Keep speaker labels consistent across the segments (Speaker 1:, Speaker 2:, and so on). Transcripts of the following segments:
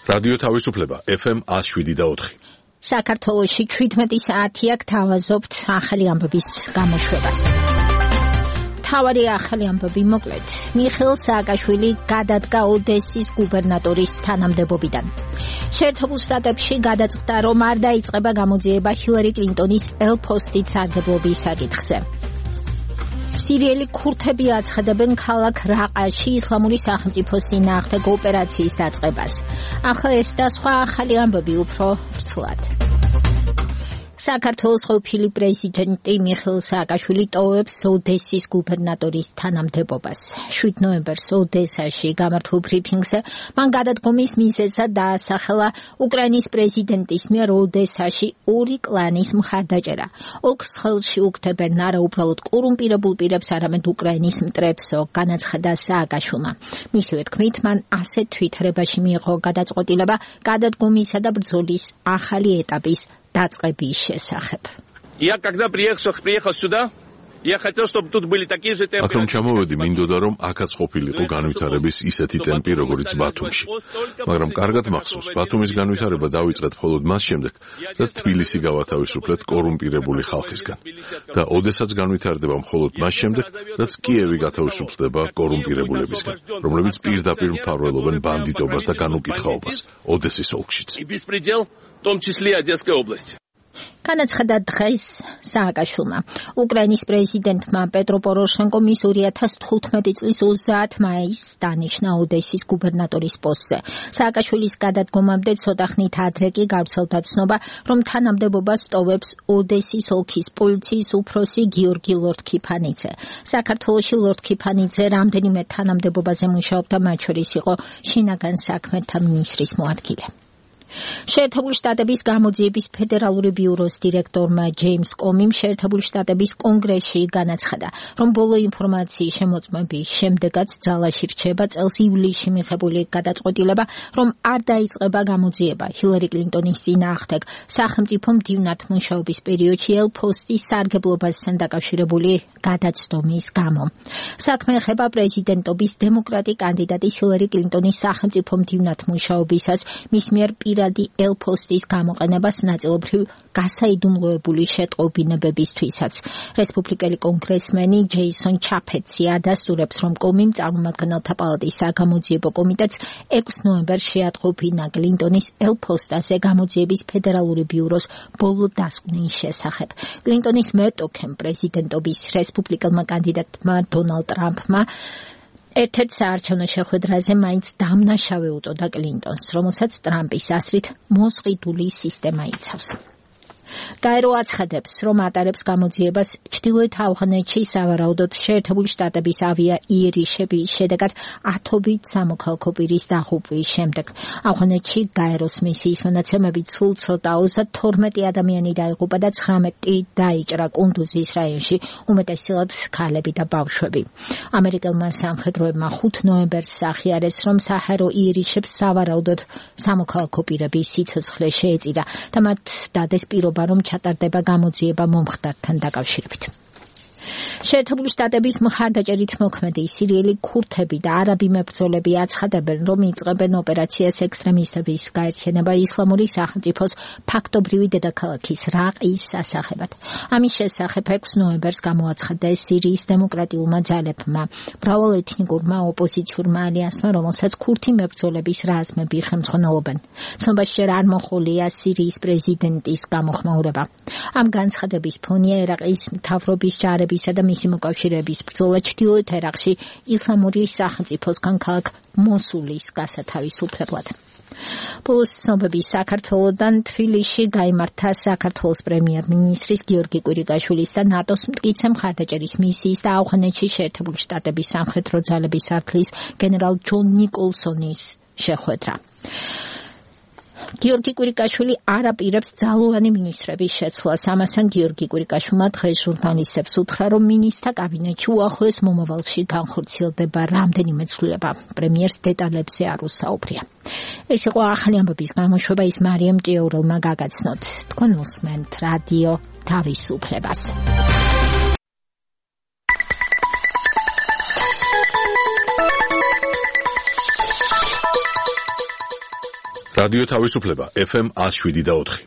Speaker 1: რადიო თავისუფლება FM 107.4.
Speaker 2: საქართველოში 17 საათია გთავაზობთ ახალი ამბების გამოშვებას. თავარი ახალი ამბები მოკლედ. მიხეილ სააკაშვილი გადადგა ოდესის გუბერნატორის თანამდებობიდან. შეერთებულ შტატებში გადაწყდა, რომ არ დაიწყება გამოძიება ჰილარი კლინტონის ელ-ფოსტით სარგებლობის საკითხზე. სირიელი ქურთები აცხადებენ ქალაქ რაყაში ისლამური სახელმწიფოს წინააღმდეგ ოპერაციის დაწყებას. ახლა ეს და სხვა ახალი ამბები უფრო ვრცლად. საქართველოს ყოფილი პრეზიდენტი მიხეილ სააკაშვილი ტოვებს ოდესის გუბერნატორის თანამდებობას. 7 ნოემბერს ოდესაში გამართულ ბრიფინგზე მან გადადგომის მიზეზად დაასახელა უკრაინის პრეზიდენტის მიერ ოდესაში ორი კლანის მხარდაჭერა. ოლქს ხელში უგდებენ არა უბრალოდ კორუმპირებულ პირებს, არამედ უკრაინის მტრებსო, განაცხადა სააკაშვილმა. მისივე თქმით, მან ასეთ თვითრებაში მიიღო გადაწყვეტილება გადადგომისა და ბრძოლის ახალი ეტაპის დაწყების შესახებ.
Speaker 3: Я когда приехал сюда, я хотел, чтобы тут были такие же темпы.
Speaker 1: Акром ჩამოვედი, მინდოდა რომ აქაც ყოფილიყო განვითარების ისეთი ტემპი, როგორც ბათუმში. მაგრამ კარგად მახსოვს, ბათუმის განვითარება დაიწყეთ მხოლოდ მას შემდეგ, რაც თბილისი გავათავისუფლეთ კორუმპირებული ხალხისგან. და ოდესაც განვითარდება მხოლოდ მას შემდეგ, რაც კიევი გათავისუფლდება კორუმპირებულებისგან, რომლებიც პირდაპირ მფარველობენ ბანდიტობას და განუკითხაობას ოდესის ოლქშიც.
Speaker 3: В том числе Одесской области.
Speaker 2: განაცხადა დღეს სააკაშვილმა. უკრაინის პრეზიდენტმა პეტრო პოროშენკომ ის 2015 წლის 30 მაისს დანიშნა ოდესის გუბერნატორის პოსტზე. სააკაშვილის გადადგომამდე ცოტა ხნით ადრე კი გავრცელდა ცნობა, რომ თანამდებობას ტოვებს ოდესის ოლქის პოლიციის უფროსი გიორგი ლორთქიფანიძე. საქართველოში ლორთქიფანიძე რამდენიმე თანამდებობაზე მუშაობდა, მათ შორის იყო შინაგან საქმეთა მინისტრის მოადგილე. შეერთებული შტატების გამოძიების ფედერალური ბიუროს დირექტორმა ჯეიმს კომიმ შეერთებული შტატების კონგრესში განაცხადა, რომ ბოლო ინფორმაციის შემოწმების შემდეგაც ძალაში რჩება წელს ივლისში მიღებული გადაწყვეტილება, რომ არ დაიწყება გამოძიება ჰილარი კლინტონის წინააღმდეგ სახელმწიფო მდივნად მუშაობის პერიოდში ელ-ფოსტის სარგებლობასთან დაკავშირებული გადაცდომის გამო. საქმე ეხება პრეზიდენტობის დემოკრატი კანდიდატის ჰილარი კლინტონის სახელმწიფო მდივნად მუშაობისას მის მიერ ელ-ფოსტის გამოყენებას ნაწილობრივ გასაიდუმლოებული შეტყობინებებისთვისაც. რესპუბლიკელი კონგრესმენი ჯეისონ ჩაფეტსი ადასტურებს, რომ კომიმ წარმომადგენელთა პალატის საგამოძიებო კომიტეტს 6 ნოემბერს შეატყობინა კლინტონის ელ-ფოსტაზე გამოძიების ფედერალური ბიუროს ბოლო დასკვნის შესახებ. კლინტონის მეტოქემ პრეზიდენტობის რესპუბლიკელმა კანდიდატმა დონალდ ტრამპმა ერთ-ერთ საარჩევნო შეხვედრაზე მაინც დამნაშავე უწოდა კლინტონს, რომელსაც ტრამპის აზრით მოსყიდული სისტემა იცავს. გაერო აცხადებს, რომ ატარებს გამოძიებას ჩრდილოეთ ავღანეთში სავარაუდოდ შეერთებული შტატების ავია იერიშების შედეგად ათობით სამოქალაქო პირის დაღუპვის შემდეგ. ავღანეთში გაეროს მისიის მონაცემებით სულ ცოტა 32 ადამიანი დაიღუპა და 19 დაიჭრა კუნდუზის რაიონში, უმეტესად ქალები და ბავშვები. ამერიკელმა სამხედროებმა 5 ნოემბერს აღიარეს, რომ საჰარო იერიშებს სავარაუდოდ სამოქალაქო პირების სიცოცხლე შეეწირა და მათ დადეს პირობა, რომ ჩატარდება გამოძიება მომხდართან დაკავშირებით. შეერთებული შტატების მხარდაჭერით მოქმედი სირიელი ქურთები და არაბი მებრძოლები აცხადებენ, რომ იწყებენ ოპერაციას ექსტრემისტების გაერთიანება ისლამური სახელმწიფოს ფაქტობრივი დედაქალაქის რაყის სასახებად. ამის შესახებ 6 ნოემბერს გამოაცხადეს სირიის დემოკრატიულმა ძალებმა, მრავალეთნიკურმა ოპოზიციურმა ალიანსმა, რომელსაც ქურთი მებრძოლების რაზმები ხელმძღვანელობენ. ცნობაში ჯერ არ მოხოლია სირიის პრეზიდენტის გამოხმაურება. ამ განცხადების ფონია ერაყის მთავრობის ჯარების და მისი მოკავშირეების ბრძოლა ჩრდილოეთ ერაყში ისლამური სახელმწიფოსგან ქალაქ მოსულის გასათავისუფლებლად. ბოლოს ცნობები საქართველოდან თბილისში გაიმართა საქართველოს პრემიერ-მინისტრის გიორგი კვირიკაშვილის და ნატოს მტკიცე მხარდაჭერის მისიის და ავღანეთში შეერთებული შტატების სამხედრო ძალების არქლის გენერალ ჯონ ნიკოლსონის შეხვედრა. გიორგი კვირიკაშვილი არ აპირებს ძალოვანი მინისტრების შეცვლას. ამასთან გიორგი კვირიკაშვილმა დღეს ჟურნალისტებს უთხრა, რომ მინისტრთა კაბინეტში უახლოეს მომავალში განხორციელდება რამდენიმე ცვლილება. პრემიერს დეტალებზე არ უსაუბრია. ეს იყო ახალი ამბების გამოშვება, ის მარიამ ჭიაურელმა გაგაცნოთ. თქვენ უსმენთ რადიო თავისუფლებას.
Speaker 1: რადიო თავისუფლება FM 107.4.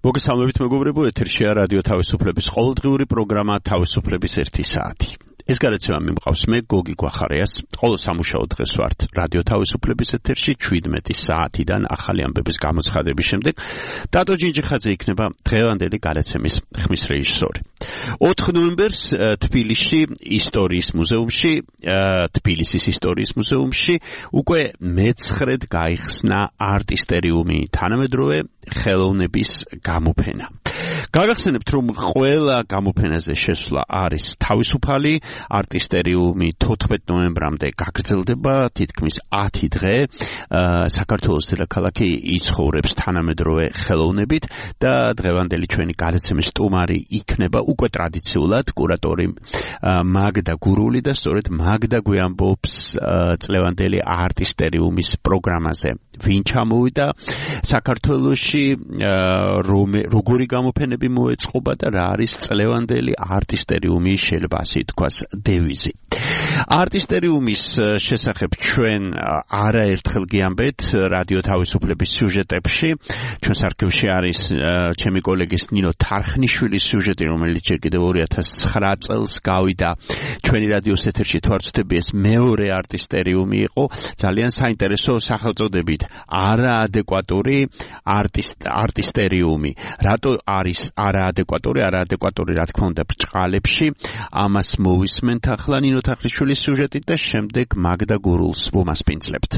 Speaker 4: მოგესალმებით მეგობრებო, ეთერშია რადიო თავისუფლების ყოველდღიური პროგრამა თავისუფლების 1 საათი. ეს გადაცემა მიმყავს მე გოგი გვახარიას. ყოველ სამუშაო დღეს ვართ რადიო თავისუფლების ეთერში 17 საათიდან ახალი ამბების გამოცხადების შემდეგ. დატო ჯინჯიხაძე იქნება დღევანდელი გადაცემის ხმის რეჟისორი. 4 ნოემბერს თბილისში ისტორიის მუზეუმში, თბილისის ისტორიის მუზეუმში უკვე მეცხრედ გაიხსნა არტისტერიუმი, თანამედროვე ხელოვნების გამოფენა. გაგახსენებთ, რომ ყველა გამოფენაზე შესვლა არის თავისუფალი. არტისტერიუმი 14 ნოემბრამდე გაგრძელდება, თითქმის 10 დღე. საქართველოს დედაქალაქი იცხოვრებს თანამედროვე ხელოვნებით და დღევანდელი ჩვენი გადაცემის სტუმარი იქნება უკვე ტრადიციულად კურატორი მაგდა გურული და სწორედ მაგდა გვიამბობს წლევანდელი არტისტერიუმის პროგრამაზე. ვინ ჩამოვიდა საქართველოში, როგორი გამოფენები მოეწყობა და რა არის წლევანდელი არტისტერიუმის, შეიძლება ასე თქვას, დევიზი. არტისტერიუმის შესახებ ჩვენ არაერთხელ გიამბეთ რადიო თავისუფლების სიუჟეტებში. ჩვენს არქივში არის ჩემი კოლეგის ნინო თარხნიშვილის სიუჟეტი, რომელიც ჯერ კიდევ 2009 წელს გავიდა ჩვენი რადიოს ეთერში. თვარწდები, ეს მეორე არტისტერიუმი იყო, ძალიან საინტერესო სახელწოდებით. არაადეკვატური არტისტერიუმი. რატო არის არაადეკვატური, რა თქმა უნდა, ბრჭყალებში. ამას მოვისმენთ ახლა ნინო თარხნიშვილის სიუჟეტით და შემდეგ მაგდა გურულს ვუმასპინძლებთ.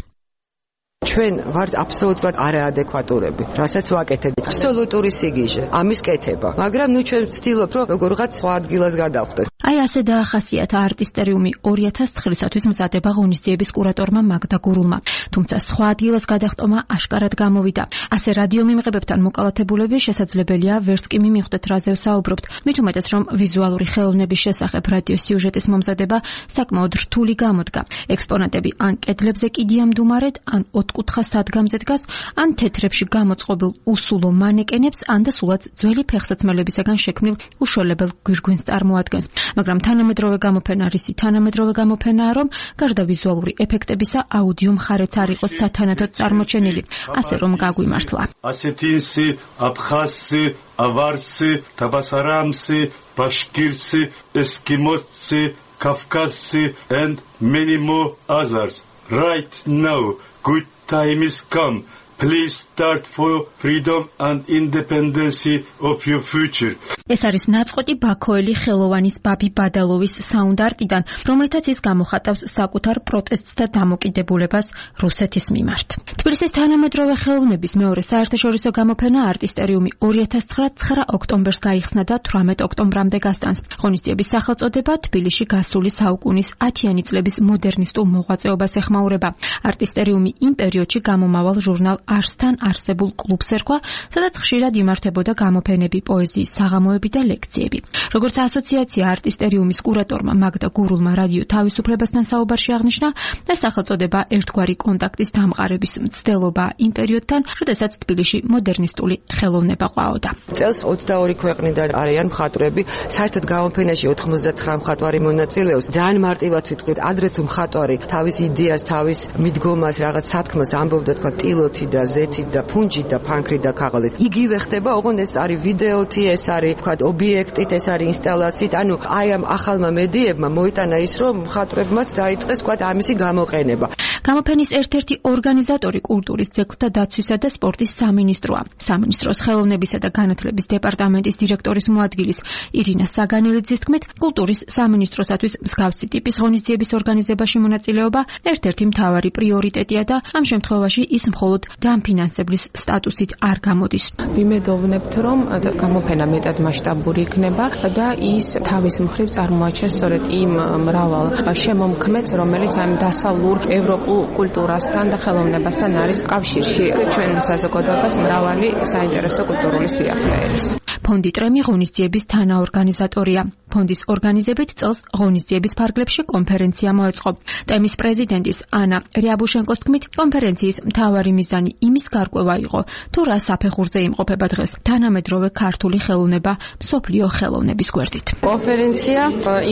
Speaker 5: ჩვენ ვართ აბსოლუტურად არაადეკვატურები, რასაც ვაკეთებთ. აბსოლუტური სიგიჟე, ამის კეთება. მაგრამ ნუ ჩვენ ვცდილობ, რომ როგორღაც სხვა ადგილას გადავხდეთ.
Speaker 6: აი ასე დაახასიათა არტისტერიუმი 2009 წლისათვის მზადება ღონისძიების კურატორმა მაგდა გურულმა. თუმცა სხვა ადგილას გადახტომა აშკარად გამოვიდა. ასე რადიო მიმღებებთან მოკალათებულები შესაძლებელია ვერც კი მიმიხვდეთ რაზე ვსაუბრობთ. მით უმეტეს რომ ვიზუალური ხელოვნების შესახებ რადიო სიუჟეტის მომზადება საკმაოდ რთული გამოდგა. ექსპონატები ან კედლებზე კიდიამდუმარედ, ან ოთხკუთხა სადგამზე დგას, ან თეთრებში გამოწყობილ უსულო მანეკენებს, ან და სულაც ძველი ფეხსაცმელებისაგან შექმნილ უშველებელ გვირგვინს წარმოადგენს. მაგრამ თანამედროვე გამოფენა რისი თანამედროვე გამოფენაა, რომ გარდა ვიზუალური ეფექტებისა, აუდიო მხარეც არ იყოს სათანადოდ წარმოჩენილი, ასე რომ გაგვიმართლა.
Speaker 7: ასეთინსი, აბხაზსი, ავარსი, თაბასარამსი, ბაშკირსი, ესკიმოსი, კავკასი and many more others. Right now, good time is come. Please start for freedom and independence of your future.
Speaker 6: ეს არის ნაწყვეტი ბაქოელი ხელოვანის ბაბი ბადალოვის საუნდარტიდან, რომელთაც ის გამოხატავს საკუთარ პროტესტს და დამოკიდებულებას რუსეთის მიმართ. თბილისის თანამედროვე ხელოვნების მეორე საერთაშორისო გამოფენა არტისტერიუმი 2009 ოქტომბერს გაიხსნა და 18 ოქტომბრამდე გასტანს. ღონისძიების სახელწოდება თბილისში გასული საუკუნის 10-იანი წლების მოდერნისტულ მოღვაწეობას ეხმაურება. არტისტერიუმი იმ პერიოდში გამომავალ ჟურნალ არსთან არსებულ კლუბს ერქვა, სადაც ხშირად იმართებოდა გამოფენები, პოეზიის საღამოები და ლექციები. როგორც ასოციაცია არტისტერიუმის კურატორმა მაგდა გურულმა რადიო თავისუფლებასთან საუბარში აღნიშნა, ეს სახელწოდება ერთგვარი კონტაქტის დამყარების მცდელობა იმ პერიოდთან, როდესაც თბილისში მოდერნისტული ხელოვნება ყვაოდა.
Speaker 5: წელს 22 ქვეყნიდან არიან მხატვრები, საერთოდ გამოფენაში 99 მხატვარი მონაწილეობს. ძალიან მარტივად ვიტყვით, ადრე თუ მხატვარი თავის იდეას, თავის მიდგომას, რაღაც სათქმას ამბობდა, თქვა ტილოთი და ზეთით და ფუნჯით და ფანქრით და ქაღალით. იგივე ხდება, ოღონდ ეს არის ვიდეოთი, ეს არის თქვა ობიექტით, ეს არის ინსტალაციით. ანუ აი ამ ახალმა მედიებმა მოიტანა ის, რომ მხატვრებმაც დაიწყეს თქვა ამისი გამოყენება.
Speaker 6: გამოფენის ერთ-ერთი ორგანიზატორი კულტურის ძეგლთა დაცვისა და სპორტის სამინისტროა. სამინისტროს ხელოვნებისა და განათლების დეპარტამენტის დირექტორის მოადგილის ირინა საგანელიძის თქმით, კულტურის სამინისტროსათვის მსგავსი ტიპის ღონისძიების ორგანიზებაში მონაწილეობა ერთ-ერთი მთავარი პრიორიტეტია და ამ შემთხვევაში ის მხოლოდ დამფინანსებლის სტატუსით არ გამოდის.
Speaker 8: ვიმედოვნებთ, რომ გამოფენა მეტად მასშტაბური იქნება და ის თავის მხრივ წარმოაჩენს სწორედ იმ მრავალ შემომქმედს, რომელიც ამ დასავლურ ევროპულ კულტურასთან და ხელოვნებასთან არის კავშირში. ჩვენ საზოგადოებას მრავალი საინტერესო კულტურული სიახლე ერის.
Speaker 6: ფონდი ტრემი ღონისძიების თანაორგანიზატორია. ფონდის ორგანიზებით წელს ღონისძიების ფარგლებში კონფერენცია მოეწყო. ტემის პრეზიდენტის ანა რიაბუშენკოს თქმით, კონფერენციის მთავარი მიზანი იმის გარკვევა იყო, თუ რა საფეხურზე იმყოფება დღეს თანამედროვე ქართული ხელოვნება მსოფლიო ხელოვნების გვერდით.
Speaker 5: კონფერენცია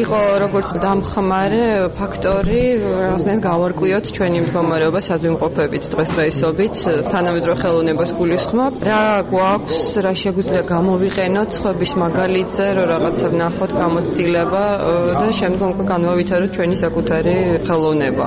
Speaker 5: იყო როგორც დამხმარე ფაქტორი, რაღაცნაირად გავარკვიოთ ჩვენი მდგომარეობა სადვიმყოფებით დღესდღეობით, თანამედროვე ხელოვნებას გულისხმობ, რა გვაქვს, რა შეგვიძლია გამოვიყენოთ სხვების მაგალითზე, რომ რაღაცა ვნახოთ გამოცდილება და შემდგომ განვავითაროთ ჩვენი საკუთარი ხელოვნება.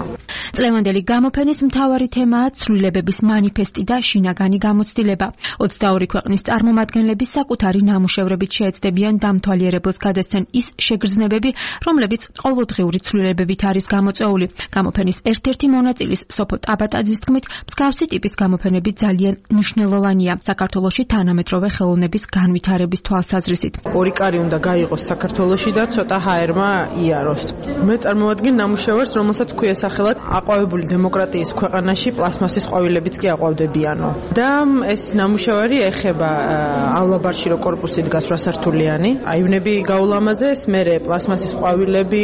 Speaker 6: წლევანდელი გამოფენის მთავარი თემაა ცვლილებების მანიფესტი და შინაგანი გამოცდილება. 22 ქვეყნის წარმომადგენლები საკუთარი ნამუშევრებით შეეცდებიან დამთვალიერებელს გადასცენ ის შეგრძნებები, რომლებიც ყოველდღიური ცვლილებებით არის გამოწვეული. გამოფენის ერთ-ერთი მონაწილის სოფო ტაბატაძის თქმით, მსგავსი ტიპის გამოფენები ძალიან მნიშვნელოვანია საქართველოში თანამედროვე ხელოვნების განვითარების თვალსაზრისით.
Speaker 9: ორი კარი უნდა გაიღოს საქართველოში და ცოტა ჰაერმა იაროს. მე წარმოვადგენ ნამუშევარს, რომელსაც ქვია სახელად აყვავებული დემოკრატიის ქვეყანაში პლასმასის ყვავილებიც კი აყვავდებიანო. და ეს ნამუშევარი ეხებაავლაბარში რო კორპუსი დგას 8 სართულიანი, აივნები გაულამაზეს, მერე პლასმასის ყვავილები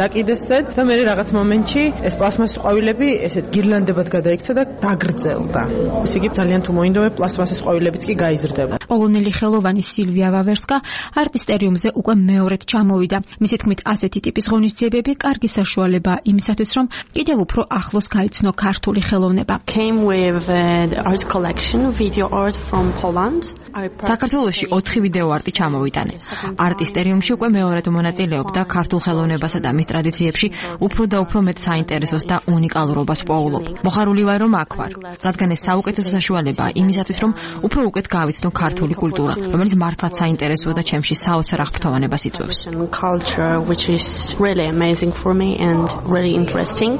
Speaker 9: დაკიდესცეთ და მერე რაღაც მომენტში ეს პლასმასის ყვავილები ესეთ გირლანდებად გადაიქცა და დაგრძელდა. ესე იგი ძალიან თუ მოინდომე პლასმასის ყვავილებიც კი გაიზრდება.
Speaker 6: პოლონელი ხელოვანი სილვია ვავერსკა არტისტერიუმზე უკვე მეორედ ჩამოვიდა. მისი თქმით, ასეთი ტიპის ღონისძიებები კარგი საშუალებაა იმისათვის, რომ კიდევ უფრო ახლოს გაიცნო ქართული ხელოვნება.
Speaker 10: Came with the art collection, video art from Poland.
Speaker 11: საქართველოში 4 ვიდეო არტი ჩამოვიტანე. არტისტერიუმში უკვე მეორედ მონაწილეობდა ქართულ ხელოვნებასა და მის ტრადიციებში უფრო და უფრო მეტ საინტერესოს და უნიკალურობას პოულობ. მოხარული ვარ, რომ აქ ვარ, რადგან ეს საუკეთესო საშუალებაა იმისათვის, რომ უფრო უკეთ გავიცნო ქართული კულტურა, რომელიც მართლაც საინტერესოა და ჩემში საოცარ აღფრთოვანებას იწვევს.
Speaker 10: Culture which is really amazing for me and really interesting.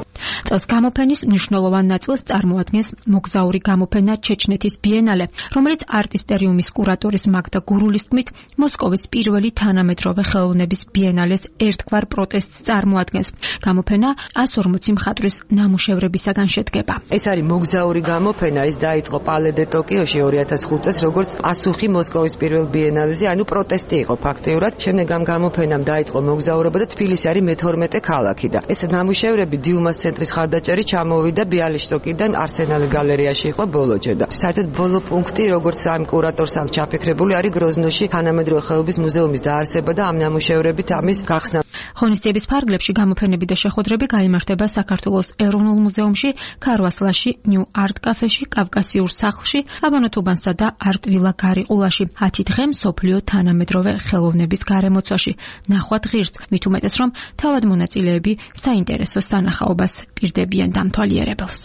Speaker 6: წელს გამოფენის მნიშვნელოვან ნაწილს წარმოადგენს მოგზაური გამოფენა ჩეჩნეთის ბიენალე, რომელიც არტისტერიუმის კურატორის მაგდა გურულის თქმით, მოსკოვის პირველი თანამედროვე ხელოვნების ბიენალეს ერთგვარ პროტესტს წარმოადგენს. გამოფენა 140 მხატვრის ნამუშევრებისაგან შედგება.
Speaker 5: ეს არის მოგზაური გამოფენა, ის დაიწყო პალე დე ტოკიოში 2005 წელს, როგორც პასუხი მოსკოვის პირველ ბიენალეზე, ანუ პროტესტი იყო ფაქტიურად. შემდეგ ამ გამოფენამ დაიწყო მოგზაურობა და თბილისი არის მე-12 ქალაქი და ეს ნამუშევრები დიუმას ცენტრის ხარდაჭერი ჩამოვიდა ბიალიშტოკიდან არსენალი გალერეაში იყო ბოლოჯე და საერთოდ ბოლო პუნქტი, როგორც ამ კურატორს აქვს ჩაფიქრებული, არის გროზნოში თანამედროვე ხელოვნების მუზეუმის დაარსება და ამ ნამუშევრებით ამის გახსნა.
Speaker 6: ღონისძიების ფარგლებში გამოფენები და შეხვედრები გაიმართება საქართველოს ეროვნულ მუზეუმში, ქარვასლაში, ნიუ არტ კაფეში, კავკასიურ სახლში, აბანოთუბანსა და არტ-ვილა გარიყულაში. 10 დღე მსოფლიო თანამედროვე ხელოვნების გარემოცვაში. ნახვად ღირს, მით უმეტეს, რომ თავად მონაწილეები საინტერესო სანახაობას პირდებიან დამთვალიერებელს.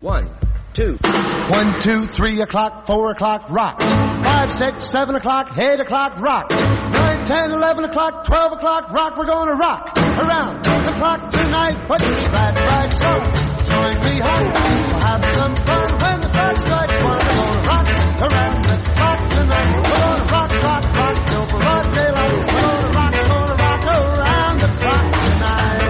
Speaker 12: 1, 2, 1, 2, 3 o'clock, 4 o'clock, rock. 5, 6, 7 o'clock, 8 o'clock, rock. 9, 10, 11 o'clock, 12 o'clock, rock. We're gonna rock around the clock tonight. Put your glad rags on, join me home. We'll have some fun when the clock strikes 1. We're gonna rock around the clock tonight. We're gonna rock, rock, rock till broad daylight. We're gonna rock around the clock tonight.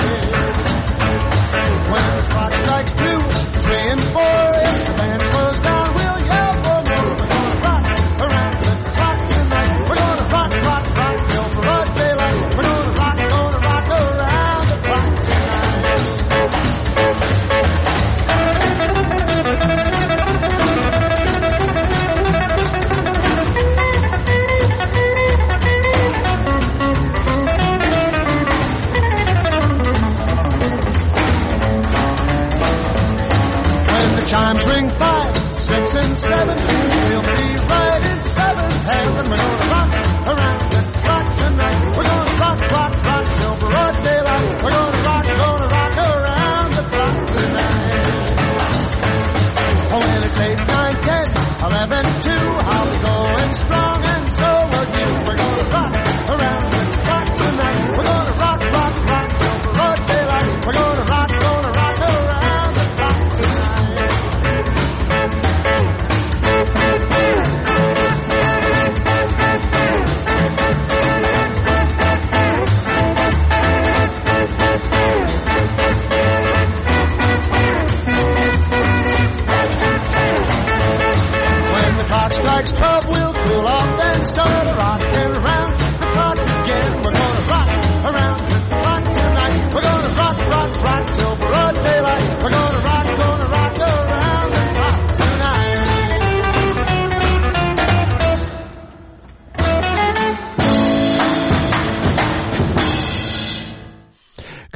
Speaker 12: When the clock strikes 2, 3 and 4, if the band slows down, we'll yell for more. We're gonna rock around the clock tonight. We're gonna rock, rock, rock till broad daylight. We're gonna rock around the clock tonight. Chimes ring 5, 6 and 7. We'll be right in 7th heaven. We're gonna rock around the clock tonight. We're gonna rock, rock, rock till broad daylight. We're gonna rock around the clock tonight. Oh, well, it's 8, 9, 10, 11, 2. I'll be going strong and so will you. We're gonna rock around the clock tonight. We're gonna rock, rock, rock till broad daylight. We're gonna rock around the clock tonight.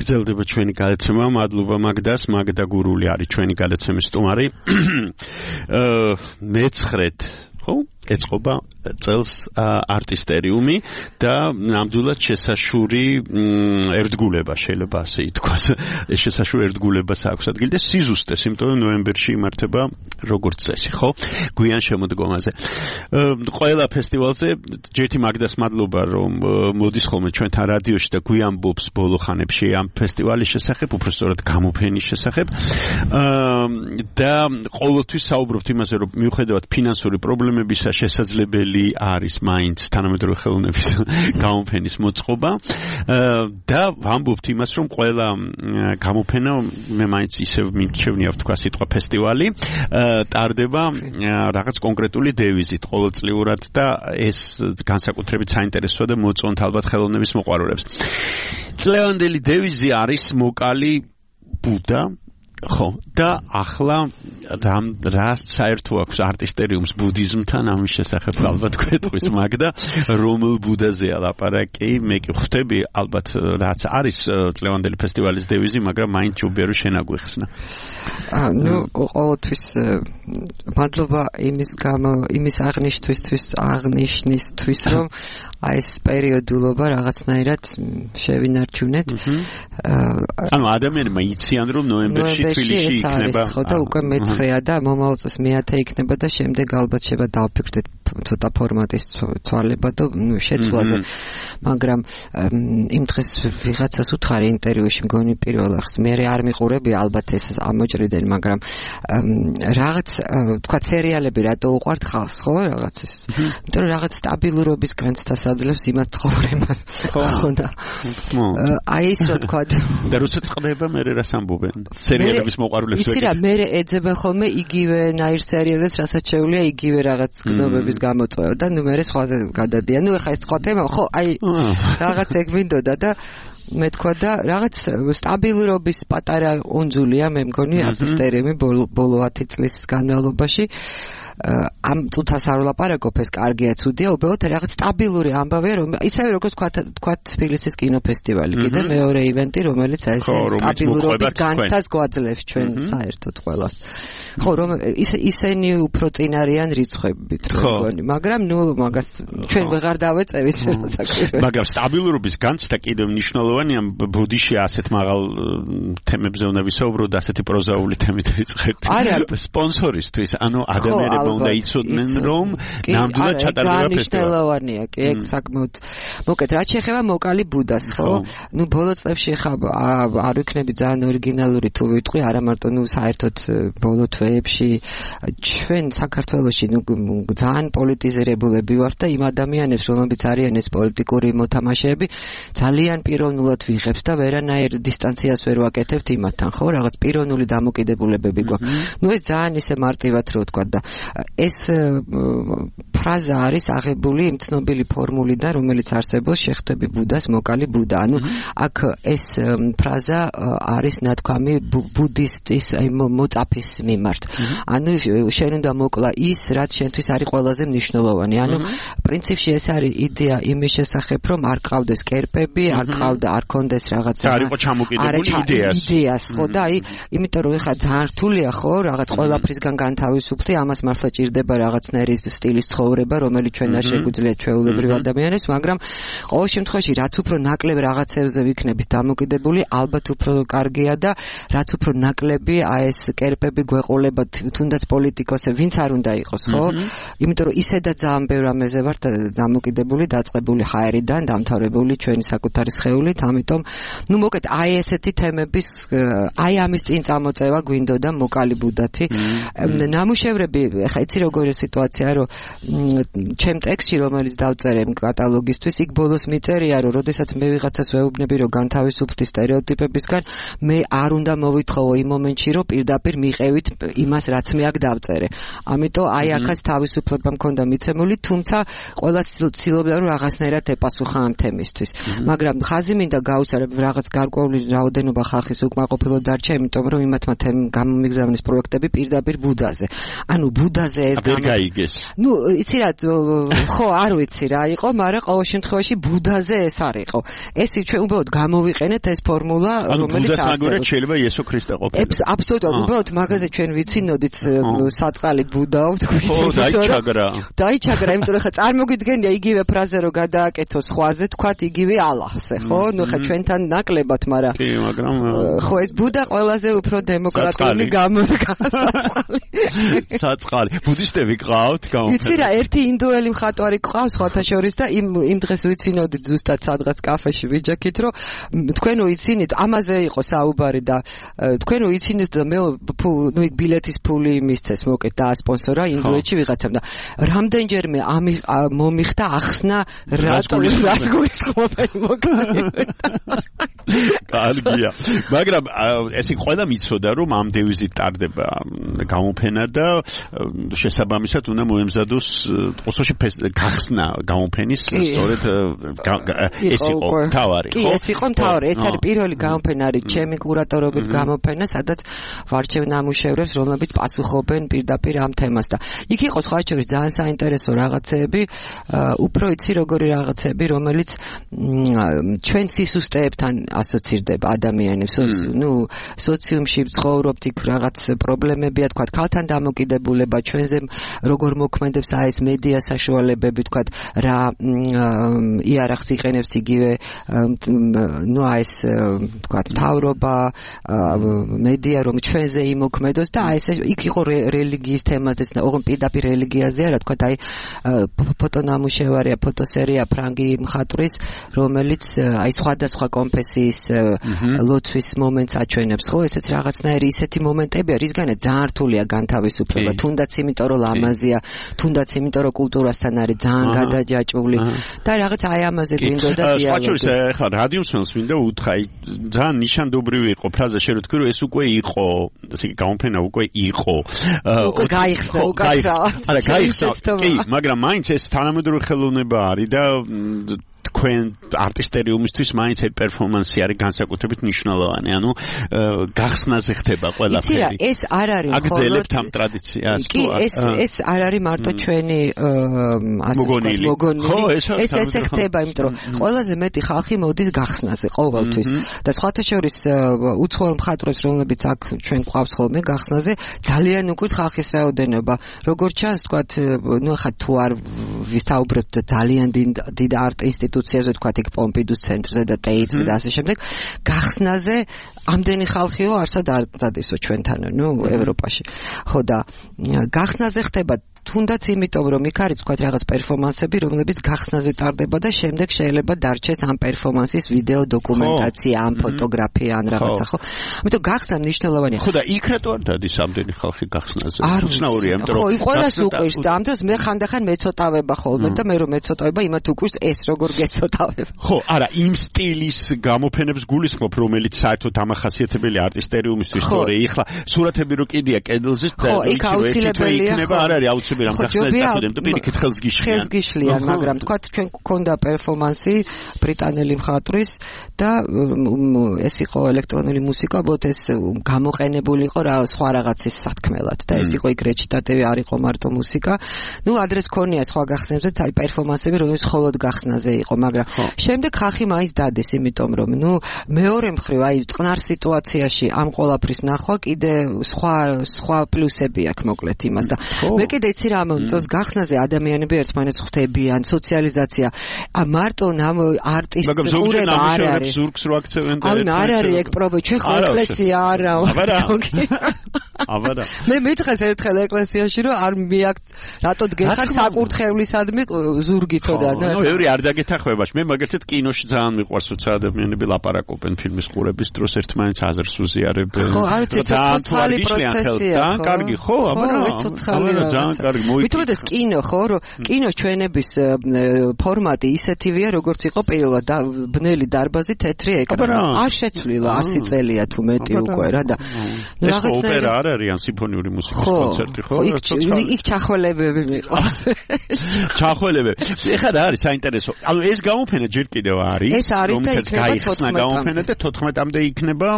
Speaker 4: გრძელდება ჩვენი გადაცემა. მადლობა მაგდას. მაგდა გურული არის ჩვენი გადაცემის სტუმარი. მე-9 ხო? ეწყობა წელს არტისტერიუმი და ნამდვილად შესაშური ერთგულება შეიძლება ასე ითქვას. ეს შესაშური ერთგულებას აქვს ადგილი და სიზუსტეს, იმიტომ რომ ნოემბერში იმართება როგორც წესი, ხო? გვიან შემოდგომაზე. ყველა ფესტივალზე ჯერთი მაგდას მადლობა რომ მოდის ხოლმე ჩვენთან რადიოში და გვიამბობს ბოლო ხანებში ამ ფესტივალის შესახებ, უბრალოდ გამოფენის შესახებ. და ყოველთვის საუბრობთ იმაზე, რომ მიუხედავად ფინანსური პრობლემებისა შესაძლებელი არის მაინც თანამედროვე ხელოვნების გამოფენის მოწყობა და ვამბობთ იმას, რომ ყველა გამოფენა მე მაინც ისევ მიმჩევნია ვთქვა სიტყვა ფესტივალი ტარდება რაღაც კონკრეტული დევიზით ყოველწლიურად და ეს განსაკუთრებით საინტერესოა და მოწონთ ალბათ ხელოვნების მოყვარულებს. წლევანდელი დევიზი არის მოკალი ბუდა ხო და ახლა რა საერთო აქვს არტისტერიუმს ბუდიზმთან ამის შესახებ ალბათ გვეტყვის მაგდა რომელ ბუდაზეა ლაპარაკი მე კი ხვდები ალბათ რაც არის წლევანდელი ფესტივალის დევიზი მაგრამ მაინც ჯობია რომ შენაგვიხსნა
Speaker 5: ну ყოველთვის მადლობა იმის აღნიშნისთვის რომ აი ეს პერიოდულობა რაღაცნაირად შევინარჩუნეთ
Speaker 4: ანუ ადამიანებმა იციან რომ ნოემბერში თბილისში იქნება
Speaker 5: ხო და უკვე მე-9-ია და მომავალ წელს მე-10 იქნება და შემდეგ ალბათ შევა დავფიქრდეთ ცოტა ფორმატის ცვალება და შეცვლაზე მაგრამ იმ დღეს ვიღაცას უთხარი ინტერვიუში მგონი პირველ ახს მე არ მიყურები ალბათ ეს ამოჭრიდან მაგრამ რაღაც თქვა სერიალები რატო უყვართ ხალხს ხო რაღაც ეს იმიტომ რომ რაღაც სტაბილურობის განცდას აძლევს იმას ცხოვრებას ხო და აი ის რა თქვა
Speaker 4: და როცა წყდება მე რას ამბობენ სერიალების მოყვარულებს
Speaker 5: იცი რა მე ეძებენ ხოლმე იგივე ნაირ სერიალებს რასაც შეუძლია იგივე რაღაც გზნობების გამოწვევა და ნუ მე სხვაზე გადადიან ნუ ეხა ეს სხვა თემა ხო აი რაღაც ეგ მინდოდა და მე თქვა და რაღაც სტაბილურობის პატარა უნძულია მე მგონი არტისტერიუმი ბოლო 10 წლის განმავლობაში ამ წუთას არ ვლაპარაკობ ეს კარგია ცუდია უბრალოდ რაღაც სტაბილური ამბავია რომ ისევე როგორც თქვა თბილისის კინოფესტივალი კიდე მეორე ივენტი რომელიც აი ეს სტაბილურობის განცდას გვაძლევს ჩვენ საერთოდ ყველას ხო რომ ისენი უფრო წინ არიან რიცხვებით მგონი მაგრამ ნუ მაგას ჩვენ ვეღარ დავეწევით საკუთრებით
Speaker 4: მაგრამ სტაბილურობის განცდა კიდე მნიშვნელოვანია ბუდიში ასეთ მაღალ თემებზე უნდა ვისაუბროთ და ასეთი პროზაული თემით ვიწყებთ სპონსორისთვის ანუ ადამიანები უნდა იცოდნენ რომ ნამდვილად ჩატარდება ფესტივალი.
Speaker 5: მნიშვნელოვანია, კი, ეგ საკმაოდ. მოკეთ, რაც შეეხება მოკალი ბუდას, ხო? ნუ ბოლო წლებში ხა არ ვიქნები ძალიან ორიგინალური თუ ვიტყვი, არა მარტო ნუ საერთოდ ბოლო თვეებში ჩვენ საქართველოში ნუ ძალიან პოლიტიზირებულები ვართ და იმ ადამიანებს, რომლებიც არიან ეს პოლიტიკური მოთამაშეები, ძალიან პიროვნულად ვიღებთ და ვერანაირ დისტანციას ვერ ვაკეთებთ იმათთან, ხო? რაღაც პიროვნული დამოკიდებულებები გვაქვს. ნუ ეს ძალიან ისე მარტივად რო ვთქვა და ეს ფრაზა არის აღებული იმ ცნობილი ფორმულიდან, რომელიც არსებობს შეხვდები ბუდას, მოკალი ბუდა. ანუ აქ ეს ფრაზა არის ნათქვამი ბუდისტის მოწაფის მიმართ. ანუ შენ უნდა მოკლა ის, რაც შენთვის არის ყველაზე მნიშვნელოვანი. ანუ პრინციპში ეს არის იდეა იმის შესახებ, რომ არ ყავდეს კერპები, არ კონდეს რაღაცა.
Speaker 4: არ იყო ჩამოკიდებული
Speaker 5: იდეას, ხო და აი, იმიტომ რომ ეხა ძალიან რთულია, ხო, რაღაც ყველაფრისგან განთავისუფლდი, ამას მართლა ჭირდება რაღაცნაირი სტილის ცხოვრება, რომელიც ჩვენ არ შეგვიძლია ჩვეულებრივ ადამიანებს, მაგრამ ყოველ შემთხვევაში რაც უფრო ნაკლებ რაღაცებზე ვიქნებით დამოკიდებული, ალბათ უფრო კარგია და რაც უფრო ნაკლები აი ეს კერპები გვეყოლება თუნდაც პოლიტიკოსები, ვინც არ უნდა იყოს, ხო? იმიტომ რომ ისედაც ძალიან ბევრ ამაზე ვართ დამოკიდებული, დაწყებული ჰაერიდან, დამთავრებული ჩვენი საკუთარი სხეულით, ამიტომ ნუ მოკეთ აი ესეთი თემების აი ამის წინ წამოწევა გვინდოდა მოკალი ბუდათი. ნამუშევრები ხა იცი როგორია სიტუაცია რომ ჩემ ტექსტში რომელიც დავწერე კატალოგისთვის იქ ბოლოს მიწერია რომ როდესაც მე ვიღაცას ვეუბნები რომ განთავისუფლდი სტერეოტიპებისგან მე არ უნდა მოვითხოვო იმ მომენტში რომ პირდაპირ მიყევით იმას რაც მე აქ დავწერე ამიტომ აი აქაც თავისუფლება მქონდა მიცემული თუმცა ყველა ცდილობდა რომ რაღაცნაირად ეპასუხა ამ თემისთვის მაგრამ ხაზი მინდა გაუსწრებ რაღაც გარკვეული რაოდენობა ხალხის უკმაყოფილო დარჩა იმიტომ რომ იმათმა გამომიგზავნის პროექტები პირდაპირ ბუდაზე ანუ ბუდაზე ეს ნუ იცი რა ხო არ ვიცი რა იყო მაგრამ ყოველ შემთხვევაში ბუდაზე ეს არ იყო ეს ჩვენ უბრალოდ გამოვიყენეთ ეს ფორმულა რომელიც
Speaker 4: ასეულებს შეიძლება იესო ქრისტე ყოფილიყო
Speaker 5: აბსოლუტურად უბრალოდ მაგაზე ჩვენ ვიცინოდით საწყალი ბუდაო დაიჩაგრა იმიტომ რომ ხა წარმოგიდგენია იგივე ფრაზე რომ გადააკეთო სხვაზე თქვათ იგივე ალაჰზე ხო ნუ ხა ჩვენთან ნაკლებად მაგრამ
Speaker 4: კი მაგრამ
Speaker 5: ხო ეს ბუდა ყველაზე უფრო დემოკრატიული გამოდგა
Speaker 4: საწყალი ბუდისტები გყავთ
Speaker 5: იცი რა ერთი ინდოელი მხატვარი გყავს სხვათა შორის და იმ დღეს ვიცინოდით ზუსტად სადღაც კაფეში ვიჯექით რომ თქვენ უიცინით ამაზე იყო საუბარი და თქვენ უიცინით და მე ნუ იქ ბილეთის ფული მისცეს მოკეთ და ასპონსორა ინდოეთში ვიღაცამ და რამდენჯერმე მომიხდა ახსნა რას გულისხმობენ მოკეთ
Speaker 4: კარგია მაგრამ ეს იქ ყველა მიცოდა რომ ამ დევიზით ტარდება გამოფენა და შესაბამისად უნდა მოემზადოს ოსოში გახსნა გამოფენის სწორედ ეს იყო თავარი
Speaker 5: ხო? კი, ეს იყო თავარი. ეს არის პირველი გამოფენა არის ჩემი კურატორობით გამოფენა, სადაც ვარჩევ ნამუშევრებს, რომლებიც პასუხობენ პირდაპირ ამ თემას და იქ იყო სხვა შორის ძალიან საინტერესო რაღაცეები, უფრო იცი როგორი რაღაცეები, რომელიც ჩვენ სისუსტეებთან ასოცირდება ადამიანებს, ნუ სოციუმში ცხოვრობთ, იქ რაღაც პრობლემებია, თქვა ქალთან დამოკიდებულება, ჩვენზე როგორ მოქმედებს ეს მედია საშუალებები, თქვა რა იარაღს იყენებს იგივე ნუ ეს თქვა მთავრობა მედია რომ ჩვენზე იმოქმედოს და ეს იქ იყო რელიგიის თემაზეც ოღონდ პირდაპირ რელიგიაზეა რა თქვა აი ფოტონამუშევარია ფოტოსერია ფრანგი მხატვრის რომელიც აი სხვადასხვა კონფესიის ლოცვის მომენტს აჩვენებს ხო ესეც რაღაცნაირი ისეთი მომენტებია რისგანაც ძალიან რთულია განთავისუფლება თუნდაც იმიტომ რომ ლამაზია თუნდაც იმიტომ რომ კულტურასთან არის ძალიან გადაჯაჭვული და რაღაც აი ამაზე გვინდოდა
Speaker 4: დიალოგი ხა რადიოსმენს მინდა უთხრა ძალიან ნიშანდობრივი იყო ფრაზა შე რო თქვი რომ ეს უკვე იყო ესე გამოფენა უკვე იყო
Speaker 5: უკვე გაიხსნა
Speaker 4: არა გაიხსნა კი მაგრამ მაინც ეს თანამედროვე ხელოვნება არის და თქვენ არტისტერიუმისთვის მაინც ეს პერფორმანსი არის განსაკუთრებით მნიშვნელოვანი. ანუ გახსნაზე ხდება ყველაფერი.
Speaker 5: იცი რა, ეს არ არის მხოლოდ
Speaker 4: აგრძელებთ ამ ტრადიციას.
Speaker 5: კი, ეს არ არის მარტო ჩვენი
Speaker 4: მოგონილი.
Speaker 5: ეს ესე ხდება, იმიტომ რომ ყველაზე მეტი ხალხი მოდის გახსნაზე ყოველთვის. და სხვათა შორის უცხოელ მხატვრებს, რომლებიც აქ ჩვენ გვყავს ხოლმე გახსნაზე, ძალიან უკვე ხალხის რაოდენობა. როგორც ჩანს, თქვათ, ნუ ხა თუ არ ვისაუბრებთ ძალიან დიდ არტ ინსტიტუციაზე, თქვათ, იქ პომპიდუს ცენტრზე და ტეიტზე და ასე შემდეგ, გახსნაზე ამდენი ხალხიო არსად არ დადისო ჩვენთან, ნუ ევროპაში. ხო და გახსნაზე ხდება თუნდაც იმიტომ რომ იქ არის თქვათ რაღაც პერფორმანსები, რომლებიც გახსნაზე ტარდება და შემდეგ შეიძლება დარჩეს ამ პერფორმანსის ვიდეო დოკუმენტაცია, ამ ფოტოგრაფია, ან რაღაცა, ხო? ამიტომ გახსნა მნიშვნელოვანია.
Speaker 4: ხო და იქ რატო არ დადის ამდენი ხალხი გახსნაზე? უცნაურია, იმიტომ
Speaker 5: რომ ხო, ყველას უყვირს და ამ დროს მე ხანდახან მეცოტავება ხოლმე და მე რომ მეცოტავება, იმათ უყვირს ეს როგორ გეცოტავება.
Speaker 4: ხო, არა, იმ სტილის გამოფენებს გულისხმობ, რომელიც საერთოდ ამახასიათებელი არტისტერიუმისთვის სწორი. ეხლა სურათები რო კიდია კედელზე და
Speaker 5: იქ აუცილებელია.
Speaker 4: არ არის აუცილებელი რამ გახსნას და პირიქით ხელს
Speaker 5: გიშლიან, მაგრამ თქვათ ჩვენ გქონდა პერფორმანსი ბრიტანელი მხატვრის და ეს იყო ელექტრონული მუსიკა, უბრალოდ ეს გამოყენებული იყო რა სხვა რაღაცის სათქმელად და ეს იყო იქ რეჩიტატივი არ იყო მარტო მუსიკა. ნუ ადრეს ქონია სხვა გახსნებზეც აი პერფორმანსები, რომელიც მხოლოდ გახსნაზე იყო, მაგრამ შემდეგ ხალხი მაინც დადეს, იმიტომ რომ ნუ მეორე მხრივ აი წყნარ სიტუაციაში ამ ყველაფრის ნახვა კიდე სხვა პლუსები აქვს მოკლედ იმას და მე კიდე რა მომწონს გახსნაზე ადამიანები ერთმანეთს ხვდებიან, სოციალიზაცია. მარტო არტისტ ყურება არ არის.
Speaker 4: ზურგს რო აქცევენ და
Speaker 5: არ არის ეგ პრობლემა. ჩვენ ხო ეკლესია არაო.
Speaker 4: აბარა.
Speaker 5: მე მითხეს ერთხელ ეკლესიაში რომ არ მიაქ რატო დგეხარ საკურთხევლისადმი ზურგითო და
Speaker 4: ნუ ევრი არ დაგეთახმებაში. მე მაგერთად კინოში ძალიან მიყვარს როცა ადამიანები ლაპარაკობენ ფილმის ყურების დროს ერთმანეთს აზრს უზიარებენ.
Speaker 5: ხო, არ ვიცი, ცოცხალი პროცესია.
Speaker 4: ძალიან კარგი, ხო, აბარა. ძალიან კარგი.
Speaker 5: მითუმეტეს კინო ხო რომ კინოს ჩვენების ფორმატი ისეთივეა როგორც იყო პირველად ბნელი დარბაზი თეთრი ეკრანი არ შეცვლილა 100 წელია თუ მეტი უკვე რა და
Speaker 4: რაღაცა არ არიან სიმფონიური მუსიკის კონცერტი, ხო?
Speaker 5: იქ ჩახველებები მიყვარს.
Speaker 4: ჩახველებები. ეხლა რა არის საინტერესო? ანუ ეს გამოფენა ჯერ კიდევ არის.
Speaker 5: ეს არის და იქნება 14-მდე
Speaker 4: გამოფენა და 14-მდე იქნება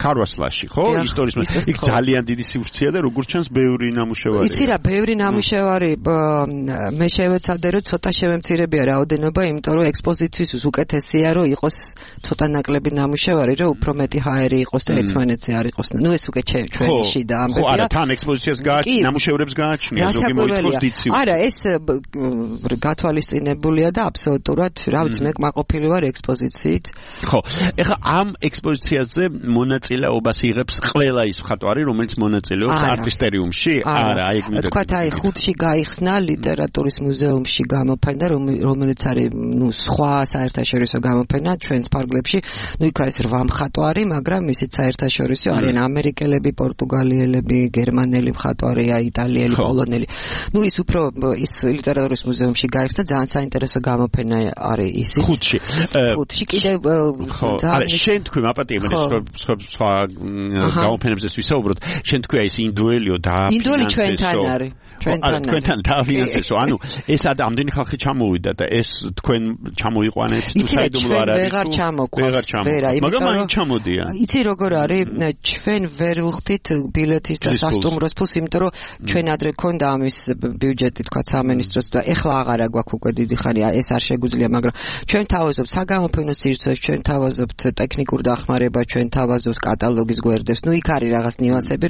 Speaker 4: ქარვასლაში, ხო? ისტორიის იქ ძალიან დიდი სივრცეა და როგორც ჩანს ბევრი ნამუშევარი.
Speaker 5: იცი რა, ბევრი ნამუშევარი მე შევეცადე რომ ცოტა შევემცირებია რაოდენობა, იმიტომ რომ ექსპოზიციის უკეთესია რომ იყოს ცოტა ნაკლები ნამუშევარი, რომ უფრო მეტი ჰაერი იყოს და ერთმანეთზე არ იყოს. ნუ ეს უკვე ჩვენი შიდა ამბებია.
Speaker 4: ხო, არა, თან ექსპოზიციას გააჩნია, ნამუშევრებს გააჩნია, ზოგი მოითხოვს დიდ სივრცეს.
Speaker 5: არა, ეს გათვალისწინებულია და აბსოლუტურად, რა ვიცი, მე კმაყოფილი ვარ ექსპოზიციით.
Speaker 4: ხო, ეხლა ამ ექსპოზიციაზე მონაწილეობას იღებს ყველა ის მხატვარი, რომელიც მონაწილეობს არტისტერიუმში? არა, აი ეგ მინდა.
Speaker 5: თქვათ, აი ხუთში გაიხსნა ლიტერატურის მუზეუმში გამოფენა, რომელიც არის, ნუ სხვა საერთაშორისო გამოფენა ჩვენს ფარგლებში. ნუ იქ არის 8 მხატვარი, მაგრამ ისიც საერთაშორისო არიან ამერიკელები, პორტუგალიელები, გერმანელი მხატვარია, იტალიელი, პოლონელი. ნუ ის უფრო ის ლიტერატურის მუზეუმში გაიხსნა, ძალიან საინტერესო გამოფენა არის ისიც. ხუთში კიდევ
Speaker 4: არა, შენ თქვი მაპატიებენ სხვა გამოფენებზე ვისაუბროთ. შენ თქვი ეს ინდუელიო და
Speaker 5: ინდუელი ჩვენთან არის.
Speaker 4: თქვენთან დავფინანსებსო. ანუ ეს ამდენი ხალხი ჩამოვიდა და ეს თქვენ ჩამოიყვანეთ თუ საიდუმლო არ არის?
Speaker 5: ვეღარ ჩამოყვანს.
Speaker 4: მაგრამ არ ჩამოდიან.
Speaker 5: იცი როგორ არის? ჩვენ ვერ ვხდით ბილეთის და სასტუმროს ფულს, იმიტომ რომ ჩვენ ადრე გქონდა ამის ბიუჯეტი, თქვა სამინისტროს და ეხლა აღარა გვაქვს უკვე დიდი ხანია, ეს არ შეგვიძლია, მაგრამ ჩვენ თავაზობთ საგამოფენო სივრცეს, ჩვენ თავაზობთ ტექნიკურ დახმარებას, ჩვენ თავაზობთ კატალოგის გვერდებს. ნუ იქ არის რაღაც ნიუანსები,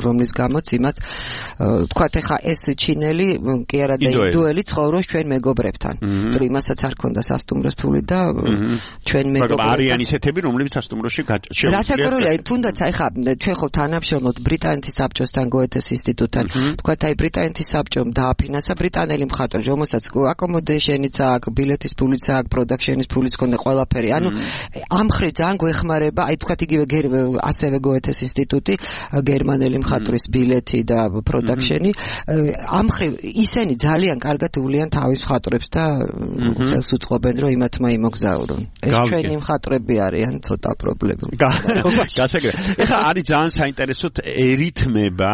Speaker 5: რომლის გამოც იმაც თქვათ ეხლა ეს ჩინელი კი არა და ინდუელი ცხოვრობს ჩვენ მეგობრებთან. თუ იმასაც არ ქონდა სასტუმროს ფული და ჩვენ მეგობრებთან.
Speaker 4: მაგრამ არიან ისეთები, რომლებიც სასტუმროში შეუძლიათ.
Speaker 5: რასაკვირველია, თუნდაც ეხლა ჩვენ ხო თანამშრომლობთ ბრიტანეთის საბჭოსთან, გოეთეს ინსტიტუტთან. თქვათ აი ბრიტანეთის საბჭომ დააფინანსა ბრიტანელი მხატვარი, რომელსაც აკომოდეიშენიც აქვს, ბილეთის ფულიც აქვს, პროდაქშენის ფულიც ქონდა ყველაფერი. ანუ ამ ხრივ ძალიან გვეხმარება, აი თქვათ იგივე ასევე გოეთეს ინსტიტუტი, გერმანელი მხატვრის ბილეთი და პროდაქშენი. ამ ხრივ ისინი ძალიან კარგად უვლიან თავის მხატვრებს და ხელს უწყობენ რომ იმათმა იმოგზაურონ. ეს ჩვენი მხატვრები არიან ცოტა პრობლემები.
Speaker 4: გასაგებია. ეხლა არის ძალიან საინტერესო ერითმება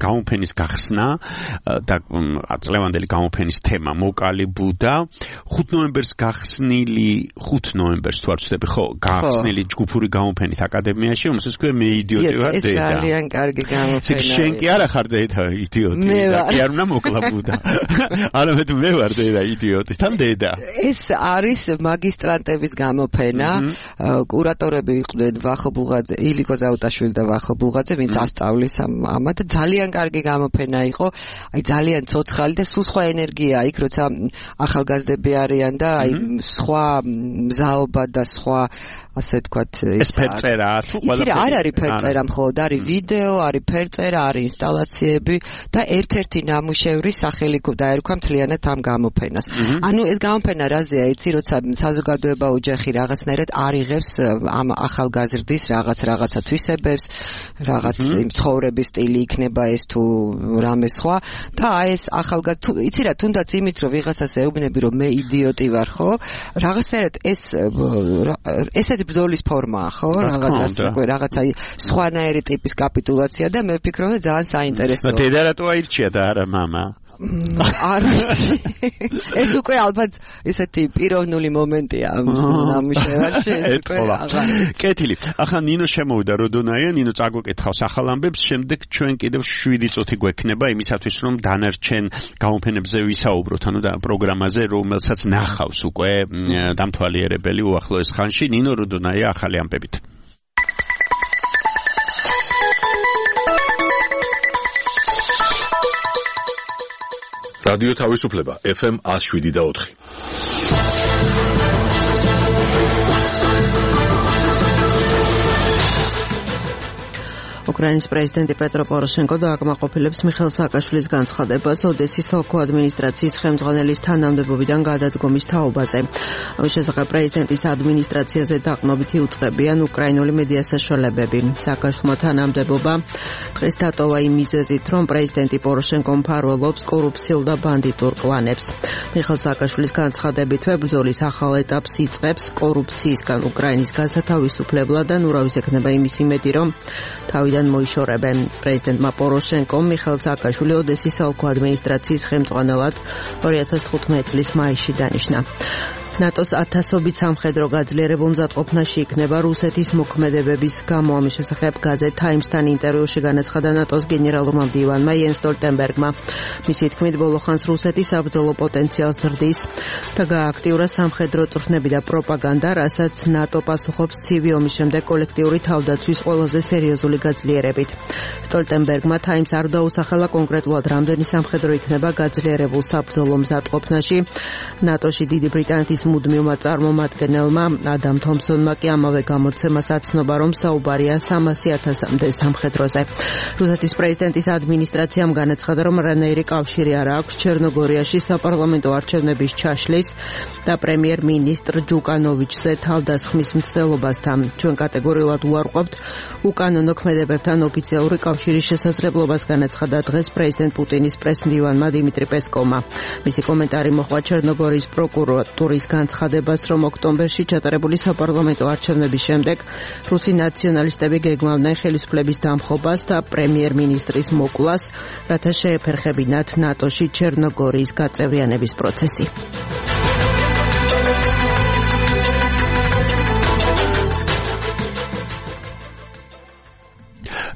Speaker 4: გამოფენის გახსნა და წლევანდელი გამოფენის თემა მოკალი ბუდა 5 ნოემბერს გახსნილი 5 ნოემბერს თუ არ ვცდები ხო გახსნილი ჯგუფური გამოფენით აკადემიაში რომელსაც ქვია მე იდიოტი ვარ დედა.
Speaker 5: ეს ძალიან კარგი გამოფენაა.
Speaker 4: შენ კი არა ხარ დედა იდიოტი და კი არ უნდა მოკლა ბუდა. არამედ მე ვარ დედა იდიოტი თან დედა.
Speaker 5: ეს არის მაგისტრანტების გამოფენა. კურატორები იყვნენ ვახო ბულღაძე, ილიკო ზაუტაშვილი და ვახო ბულღაძე, ვინც ასწავლის ამათ. ძალიან კარგი გამოფენა იყო. აი ძალიან ცოცხალი და სულ სხვა ენერგია იქ, როცა ახალგაზრდები არიან და აი სხვა მზაობა და სხვა ასე თქვათ
Speaker 4: ეს ფერწერა თუ
Speaker 5: ყველა ის არ არის ფერწერა მხოლოდ არის ვიდეო, არის ფერწერა, არის ინსტალაციები და ერთ-ერთი ნამუშევრის სახელი დაერქვა მთლიანად ამ გამოფენას. ანუ ეს გამოფენა რაზეა, იცი, როცა საზოგადოება ოჯახი რაღაცნაირად არიღებს ამ ახალგაზრდის რაღაცა თვისებებს, რაღაც იმ ცხოვრების სტილი იქნება ეს თუ რამე სხვა და აი ეს ახალგაზრდა იცი რა, თუნდაც იმით რომ ვიღაცას ეუბნები რომ მე იდიოტი ვარ, ხო? რაღაცნაირად ეს ბრძოლის ფორმაა, ხო? რაღაცა სხვანაირი ტიპის კაპიტულაცია და მე ვფიქრობ, რომ ძალიან საინტერესოა.
Speaker 4: დედა რატო აირჩია და არა მამა?
Speaker 5: არ ვიცი. ეს უკვე ალბათ ესეთი პიროვნული მომენტია ამ ნამუშევარში, ეს უკვე აღარ.
Speaker 4: კეთილი. ახლა ნინო შემოვიდა როდონაია, ნინო წაგვეკითხავს ახალ ამბებს, შემდეგ ჩვენ კიდევ 7 წუთი გვექნება იმისათვის, რომ დანარჩენ გამოფენებზე ვისაუბროთ, ანუ და პროგრამაზე, რომელსაც ნახავს უკვე დამთვალიერებელი უახლოეს ხანში, ნინო როდონაია ახალი ამბებით.
Speaker 1: რადიო თავისუფლება FM 107.4.
Speaker 5: უკრაინის პრეზიდენტი პეტრო პოროშენკო დააკმაყოფილებს მიხეილ სააკაშვილის განცხადებას ოდესის ოლქო ადმინისტრაციის ხელმძღვანელის თანამდებობიდან გადადგომის თაობაზე. ამის შესახებ პრეზიდენტის ადმინისტრაციაზე დაყრდნობითი უწყებიან უკრაინული მედია საშუალებები. სააკაშვილმა თანამდებობა დღეს დატოვა იმ მიზეზით, რომ პრეზიდენტი პოროშენკო მფარველობს კორუფციულ და ბანდიტურ კლანებს. მიხეილ სააკაშვილის განცხადებითვე ბრძოლის ახალ ეტაპს იწყებს კორუფციისგან უკრაინის გასათავისუფლებლად და ურავის ექნება იმის იმედი, რომ თავიდან
Speaker 13: მოიშორებენ. პრეზიდენტმა პოროშენკომ მიხეილ სააკაშვილი ოდესის საოლქო ადმინისტრაციის ხელმძღვანელად 2015 წლის მაისში დანიშნა. ნატოს 1000-ობით სამხედრო გაძლიერებულ მზადყოფნაში იქნება რუსეთის მოქმედებების გამო. ამის შესახებ გაზეთ Times-თან ინტერვიუში განაცხადა ნატოს გენერალურმა მდივანმა იენს სტოლტენბერგმა. მისი თქმით, ბოლო ხანს რუსეთი საბრძოლო პოტენციალს ზრდის და გააქტიურა სამხედრო წვრთნები და პროპაგანდა, რასაც ნატო პასუხობს ცივი ომის შემდეგ კოლექტიური თავდაცვის ყველაზე სერიოზული გაძლიერებით. სტოლტენბერგმა Times არ დაუსახელა კონკრეტულად რამდენი სამხედრო იქნება გაძლიერებულ საბრძოლო მზადყოფნაში. ნატოში დიდი ბრიტანეთის მუდმივმა წარმომადგენელმა ადამ თომსონმა კი ამავე გამოცემას აცნობა, რომ საუბარია 300,000-მდე სამხედროზე. რუსეთის პრეზიდენტის ადმინისტრაციამ განაცხადა, რომ რანაირი კავშირი არ აქვს ჩერნოგორიაში საპარლამენტო არჩევნების ჩაშლის და პრემიერ-მინისტრ ჯუკანოვიჩზე თავდასხმის მცდელობასთან. ჩვენ კატეგორიულად უარყოფთ უკანონო ქმედებებთან ოფიციალური კავშირის შესაძლებლობას, განაცხადა დღეს პრეზიდენტ პუტინის პრესმდივანმა დიმიტრი პესკოვმა. მისი კომენტარი მოჰყვა ჩერნოგორიის პროკურატურის განცხადებას, რომ ოქტომბერში ჩატარებული საპარლამენტო არჩევნების შემდეგ რუსი ნაციონალისტები გეგმავდნენ ხელისუფლების დამხობას და პრემიერ-მინისტრის მოკვლას, რათა შეეფერხებინათ ნატოში ჩერნოგორიის გაწევრიანების პროცესი.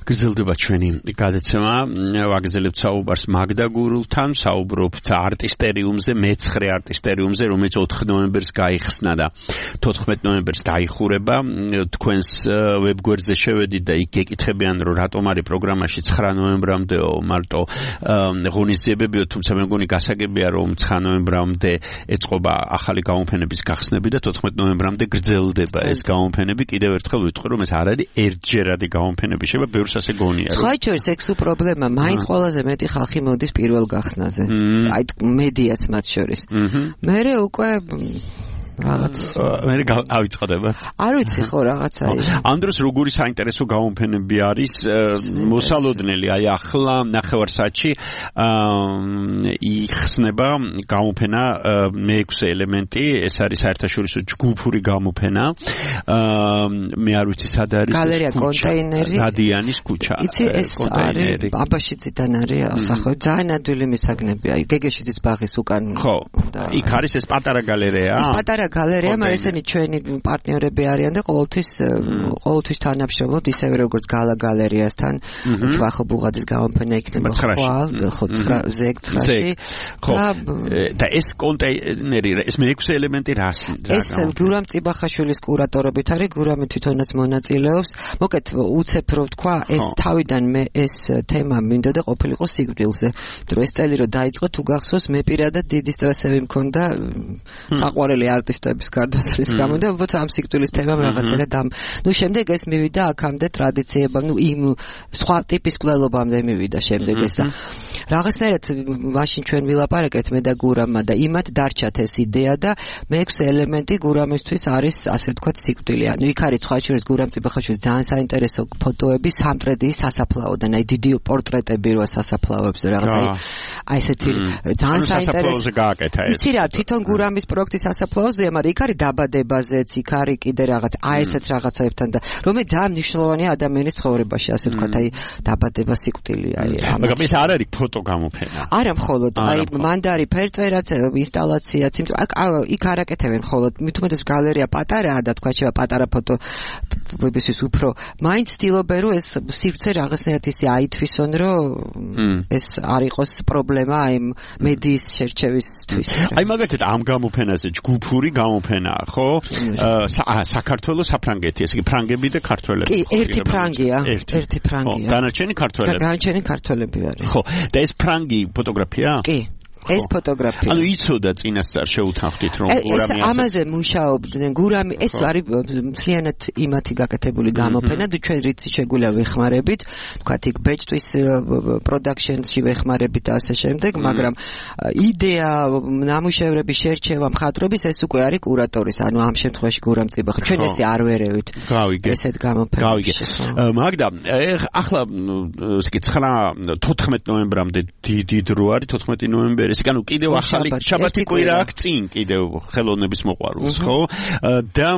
Speaker 4: გრძელდება ჩვენი გადაცემა. ვაგრძელებთ საუბარს მაგდა გურულთან, საუბრობთ არტისტერიუმზე, მე-9 არტისტერიუმზე, რომელიც 4 ნოემბერს გაიხსნა და 14 ნოემბერს დაიხურება. თქვენს ვებგვერდზე შევედით და იქ გეკითხებიან, რომ რატომ არის პროგრამაში 9 ნოემბრამდეო მარტო ღონისძიებებიო, თუმცა მე მგონი გასაგებია, რომ 9 ნოემბრამდე ეწყობა ახალი გამოფენების გახსნები და 14 ნოემბრამდე გრძელდება ეს გამოფენები. კიდევ ერთხელ ვიტყვი, რომ ეს არ არის ერთჯერადი გამოფენები, შევა ბევრს ასე გონია.
Speaker 5: ხაიჩორის ექსუ პრობლემა, მაინც ყველაზე მეტი ხალხი მოდის პირველ გახსნაზე. აი მედიაც მათ შორის. მერე უკვე რაღაც
Speaker 4: მე ავიწყდება.
Speaker 5: არ ვიცი ხო რაღაცა ის.
Speaker 4: ამ დროს როგორი საინტერესო გამოფენები არის მოსალოდნელი, აი ახლა ნახევარსაათში იხსნება გამოფენა მე-6 ელემენტი, ეს არის საერთაშორისო ჯგუფური გამოფენა. მე არ ვიცი სად არის.
Speaker 5: გალერეა კონტეინერი.
Speaker 4: დადიანის ქუჩა.
Speaker 5: იცი ეს არის აბაშიძიდან არის ასახო. ძალიან ადვილი მისაგნებია. გეგეშიძის ბაღის უკან.
Speaker 4: ხო. იქ არის ეს პატარა გალერეა.
Speaker 5: ეს პატარა გალერეა, მაგრამ ესენი ჩვენი პარტნიორები არიან და ყოველთვის თანამშრომლობთ, ისევე როგორც გალა გალერეასთან. ჯვახო ბუღაძის გამოფენა იქნება ხო 9-ში.
Speaker 4: ხო. და ეს კონტეინერი, ეს მე-6 ელემენტი რას?
Speaker 5: ეს გურამ წიბახაშვილის კურატორობით არის, გურამი თვითონაც მონაწილეობს. მოკეთ უცებ რო თქვა, ეს თავიდან მე ეს თემა მინდოდა ყოფილიყო სიკვდილზე. იმიტომ ეს წელი რო დაიწყო, თუ გახსოვს, მე პირადად დიდი სტრესები მქონდა საყვარელი არტისტების გარდაცვალების გამო და უბრალოდ ამ სიკვდილის თემამ რაღაცნაირად ნუ შემდეგ ეს მივიდა აქამდე ტრადიციებამ, ნუ იმ სხვა ტიპის კვლელობამდე მივიდა შემდეგ ეს და რაღაცნაირად მაშინ ჩვენ ვილაპარაკეთ მე და გურამმა და იმათ დარჩათ ეს იდეა და მე-6 ელემენტი გურამისთვის არის ასე ვთქვათ სიკვდილი. ანუ იქ არის სხვა შორის გურამ წიბახაშვილის ძალიან საინტერესო ფოტოები სამტრედიის სასაფლაოდან, აი დიდი პორტრეტები როა სასაფლაოებზე რაღაცა აი ესეთი ძალიან საინტერესო
Speaker 4: გააკეთა ეს.
Speaker 5: იცი რა, თვითონ გურამის პროექტი სასაფლაოზეა, მაგრამ იქ არის დაბადებაზეც, იქ არის კიდე რაღაც აი ესეც რაღაცაებთან და რომელიც ძალიან მნიშვნელოვანია ადამიანის ცხოვრებაში, ასე ვთქვათ, აი დაბადება, სიკვდილი, აი ამათ.
Speaker 4: მაგრამ ეს არ არის ფოტო გამოფენა.
Speaker 5: არა მხოლოდ, აი მანდარი ფერწერაც, ინსტალაციაც, იქ არ აკეთებენ მხოლოდ, მithumetes გალერეა პატარაა და თქვა შევა პატარა ფოტოების უფრო მაინც ცდილობენ, რომ ეს სივრცე რაღაცნაირად ისე აითვისონ, რომ ეს არ იყოს პრობლემა აი მედიის შერჩევისთვის.
Speaker 4: აი მაგალითად ამ გამოფენაზე ჯგუფური გამოფენაა, ხო? საქართველოს საფრანგეთი, ესე იგი ფრანგები და ქართველები.
Speaker 5: კი, ერთი ფრანგია.
Speaker 4: დანარჩენი ქართველები.
Speaker 5: დანარჩენი ქართველები არის.
Speaker 4: ხო, და ეს ფრანგი ფოტოგრაფია?
Speaker 5: კი. ეს ფოტოგრაფია.
Speaker 4: ანუ იცოდა წინასწარ შეუთანხმდით რომ
Speaker 5: გურამი ამაზე მუშაობდნენ. გურამი ეს არის მთლიანად იმათი გაკეთებული გამოფენა და ჩვენ რითი შეგვიძლია ვეხმარებით, თქვათ იქ ბეჭდვის პროდაქშენში ვეხმარებით და ასე შემდეგ, მაგრამ იდეა, ნამუშევრების შერჩევა, მხატვრობის ეს უკვე არის კურატორის, ანუ ამ შემთხვევაში გურამ წიბახა. ჩვენ ესე არ ვერევით. ესეთ გამოფენებში.
Speaker 4: მაგდა, ახლა 14 ნოემბრამდე დიდი დრო არის, 14 ნოემბერი ეს ანუ კიდევ ახალი შაბათი კვირა აქვს წინ კიდევ ხელოვნების მოყვარულს ხო და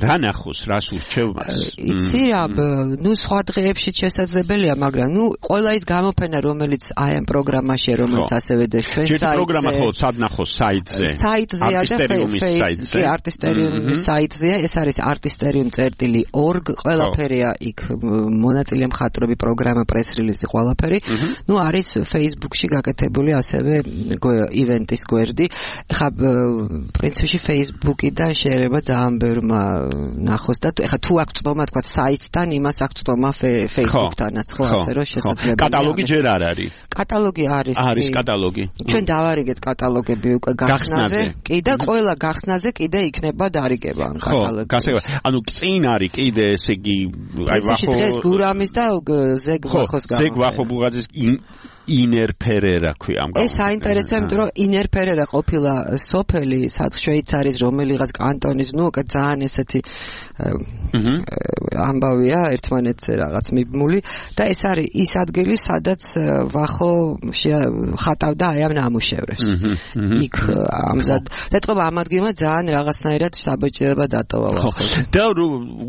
Speaker 4: რა ნახოს რას ურჩევ მას
Speaker 5: იცი რა ნუ სხვა დღეებში შესაძლებელია მაგრამ ნუ ყველა ის გამოფენა რომელიც აი ამ პროგრამაშია რომელიც ასევე და ჩვენ საიტზე
Speaker 4: პროგრამა ხო სად ნახოს საიტზეა
Speaker 5: და Facebook არტისტერიუმის საიტზეა ეს არის artisterium.org ყველაფერია იქ მონაწილე მხატვრები პროგრამა პრეს რილიზი ყველაფერი ნუ არის Facebook-ში გაკეთებული ასევე ივენტის გვერდი ხა პრინციპში Facebook-იდან შეიძლება ძალიან ბევრმა ნახოს და ხა თუ აქვს წდომა თქვა საიტთან იმას აქვს წდომა Facebook-თანაც ხო ასე რომ შესაძლებელია
Speaker 4: კატალოგი ჯერ არ არის
Speaker 5: კატალოგი არის
Speaker 4: კატალოგი
Speaker 5: ჩვენ დავარიგეთ კატალოგები უკვე გახსნაზე კი და ყველა გახსნაზე კიდე იქნება დარიგება ამ კატალოგში
Speaker 4: ანუ წინ არის კიდე ესე იგი
Speaker 5: აი ვახო დღეს გურამის და ზეგვახოს გამო
Speaker 4: ზეგვახო ბუღაძის ინერ ფერერა ქვია ამ გამო.
Speaker 5: ეს საინტერესოა, იმიტომ რომ ინერ ფერერა ყოფილა სოფელი შვეიცარიის რომელიღაც კანტონის, ნუ ძალიან ესეთი ამბავია ერთმანეთზე რაღაც მიბმული და ეს არის ის ადგილი, სადაც ვახო ხატავდა აი ამ ნამუშევრებს. იქ ამზად დატყობა ამ ადგილმა ძალიან რაღაცნაირად საბჭოება დატოვა ვახო.
Speaker 4: და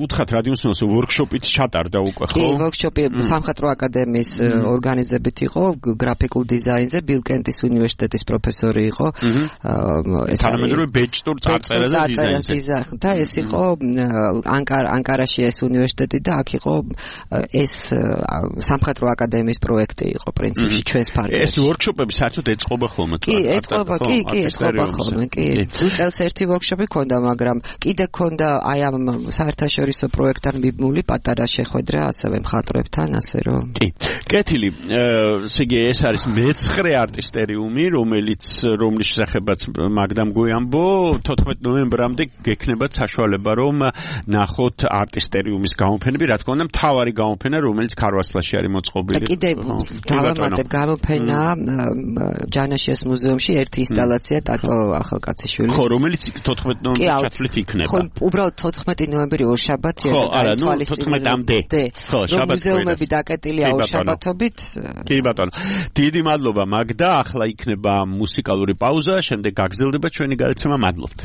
Speaker 4: უთხრათ რადიოსნოს ვორქშოპით ჩატარდა უკვე ხო?
Speaker 5: კი, ვორქშოპი სამხატვრო აკადემიის ორგანიზებით იყო. გრაფიკულ დიზაინზე ბილკენტის უნივერსიტეტის პროფესორი იყო.
Speaker 4: თანამედროვე ბეჭდურ წარწერაზე დიზაინზე.
Speaker 5: და ეს იყო ანკარაში ეს უნივერსიტეტი და აქ იყო ეს სამხატვრო აკადემიის პროექტი იყო პრინციპში ჩვენს ფარგლებში.
Speaker 4: ეს ვორქშოპები საერთოდ ეწყობა ხოლმე?
Speaker 5: კი, ეწყობა ხოლმე, კი. წელს ერთი ვორქშოპი ქონდა, მაგრამ კიდე ქონდა აი ამ საერთაშორისო პროექტთან მიბმული პატარა შეხვედრა ასევე მხატვრებთან, ასე რომ.
Speaker 4: კი. კეთილი, ეს არის მე-9 არტისტერიუმი, რომლის შესახებაც მაგდამ გვიამბო 14 ნოემბრამდე გექნებათ საშუალება რომ ნახოთ არტისტერიუმის გამოფენები, რა თქმა უნდა, მთავარი გამოფენა, რომელიც ქარვასლაში არის მოწყობილი.
Speaker 5: და კიდე დავამატებ გამოფენა ჯანაშიას მუზეუმში ერთი ინსტალაცია ტატო ახალკაციშვილის.
Speaker 4: ხო, რომელიც 14 ნოემბერში ჩათვლით იქნება.
Speaker 5: ხო, უბრალოდ 14 ნოემბერი ორშაბათია
Speaker 4: და არა, ნუ 14-მდე.
Speaker 5: ხო, შაბათი. მუზეუმები დაკეტილია ორშაბათობით.
Speaker 4: კი ბატონო. დიდი მადლობა მაგდა, ახლა იქნება მუსიკალური პაუზა, შემდეგ გაგრძელდება ჩვენი გადაცემა. მადლობთ.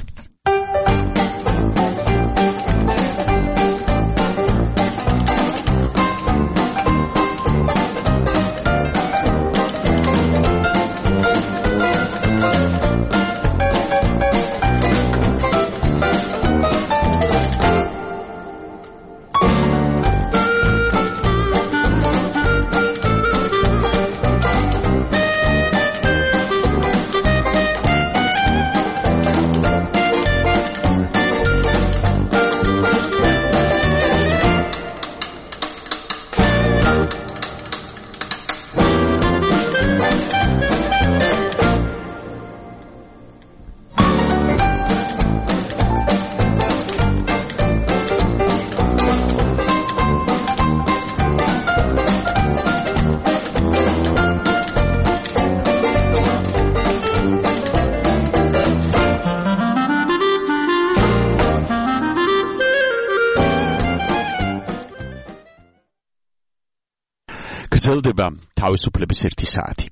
Speaker 4: გრძელდება თავისუფლების 1 საათი.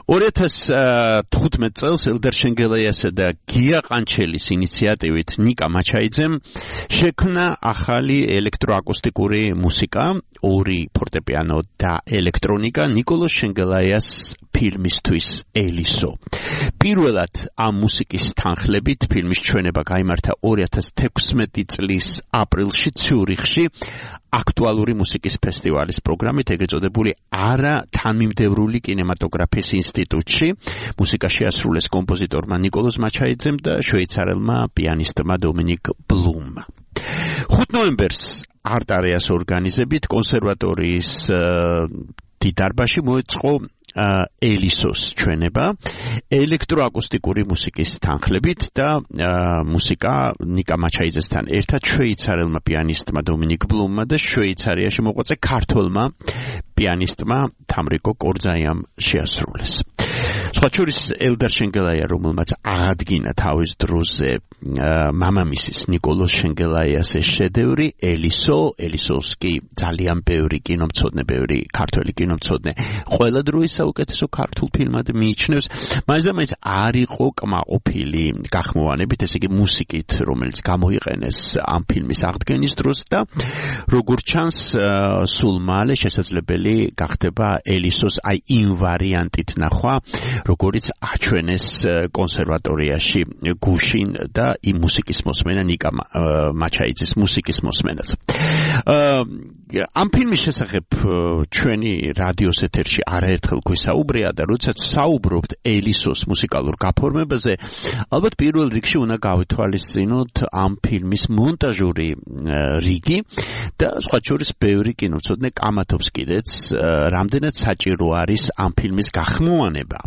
Speaker 4: 2015 წელს ელდარ შენგელაიასა და გია ყანჩელის ინიციატივით ნიკა მაჩაიძემ შექმნა ახალი ელექტროაკუსტიკური მუსიკა, 2 ფორტეპიანო და ელექტრონიკა ნიკოლოზ შენგელაიას ფილმისთვის ელისო. პირველად ამ მუსიკის თანხლებით ფილმის ჩვენება გაიმართა 2016 წლის აპრილში ციურიხში აქტუალური მუსიკის ფესტივალის პროგრამით, ეგრეთ წოდებული არა თანმიმდევრული კინემატოგრაფიის ინსტიტუტში. მუსიკა შეასრულეს კომპოზიტორმა ნიკოლოზ მაჩაიძემ და შვეიცარელმა პიანისტმა დომინიკ ბლუმმა. 5 ნოემბერს არტ-არეას ორგანიზებით კონსერვატორიის დიდარბაში მოეწყო ელისოს ჩვენება ელექტროაკუსტიკური მუსიკის თანხლებით და მუსიკა ნიკა მაჩაიძესთან ერთად შვეიცარელმა პიანისტმა დომინიკ ბლუმმა და შვეიცარიაში მოღვაწე ქართველმა პიანისტმა თამრიკო კორძაიამ შეასრულეს. სხვა შორის ელდარ შენგელაია, რომელმაც აღადგინა თავის დროზე მამამისის ნიკოლოზ შენგელაიას ეს შედევრი ელისოს კი ძალიან ბევრი კინომცოდნე, ბევრი ქართველი კინომცოდნე ყველა დროის საუკეთესო ქართულ ფილმად მიიჩნევს. მაინც არ იყო კმაყოფილი გახმოვანებით, ესე იგი მუსიკით, რომელიც გამოიყენეს ამ ფილმის აღდგენის დროს და როგორც ჩანს სულ მალე შესაძლებელი გახდება ელისოს აი იმ ვარიანტით ნახვა, როგორც აჩვენეს კონსერვატორიაში გუშინ და იმ მუსიკის მოსმენა ნიკა მაჩაიძის მუსიკის მოსმენაც. ამ ფილმის შესახებ ჩვენი რადიოს ეთერში არაერთხელ გვესაუბრია და როდესაც საუბრობთ ელისოს მუსიკალურ გაფორმებაზე, ალბათ პირველ რიგში უნდა გავითვალისწინოთ ამ ფილმის მონტაჟური რიგი და სხვა შორის ბევრი კინომცოდნე კამათობს კიდეც, რამდენად საჭირო არის ამ ფილმის გახმოვანება,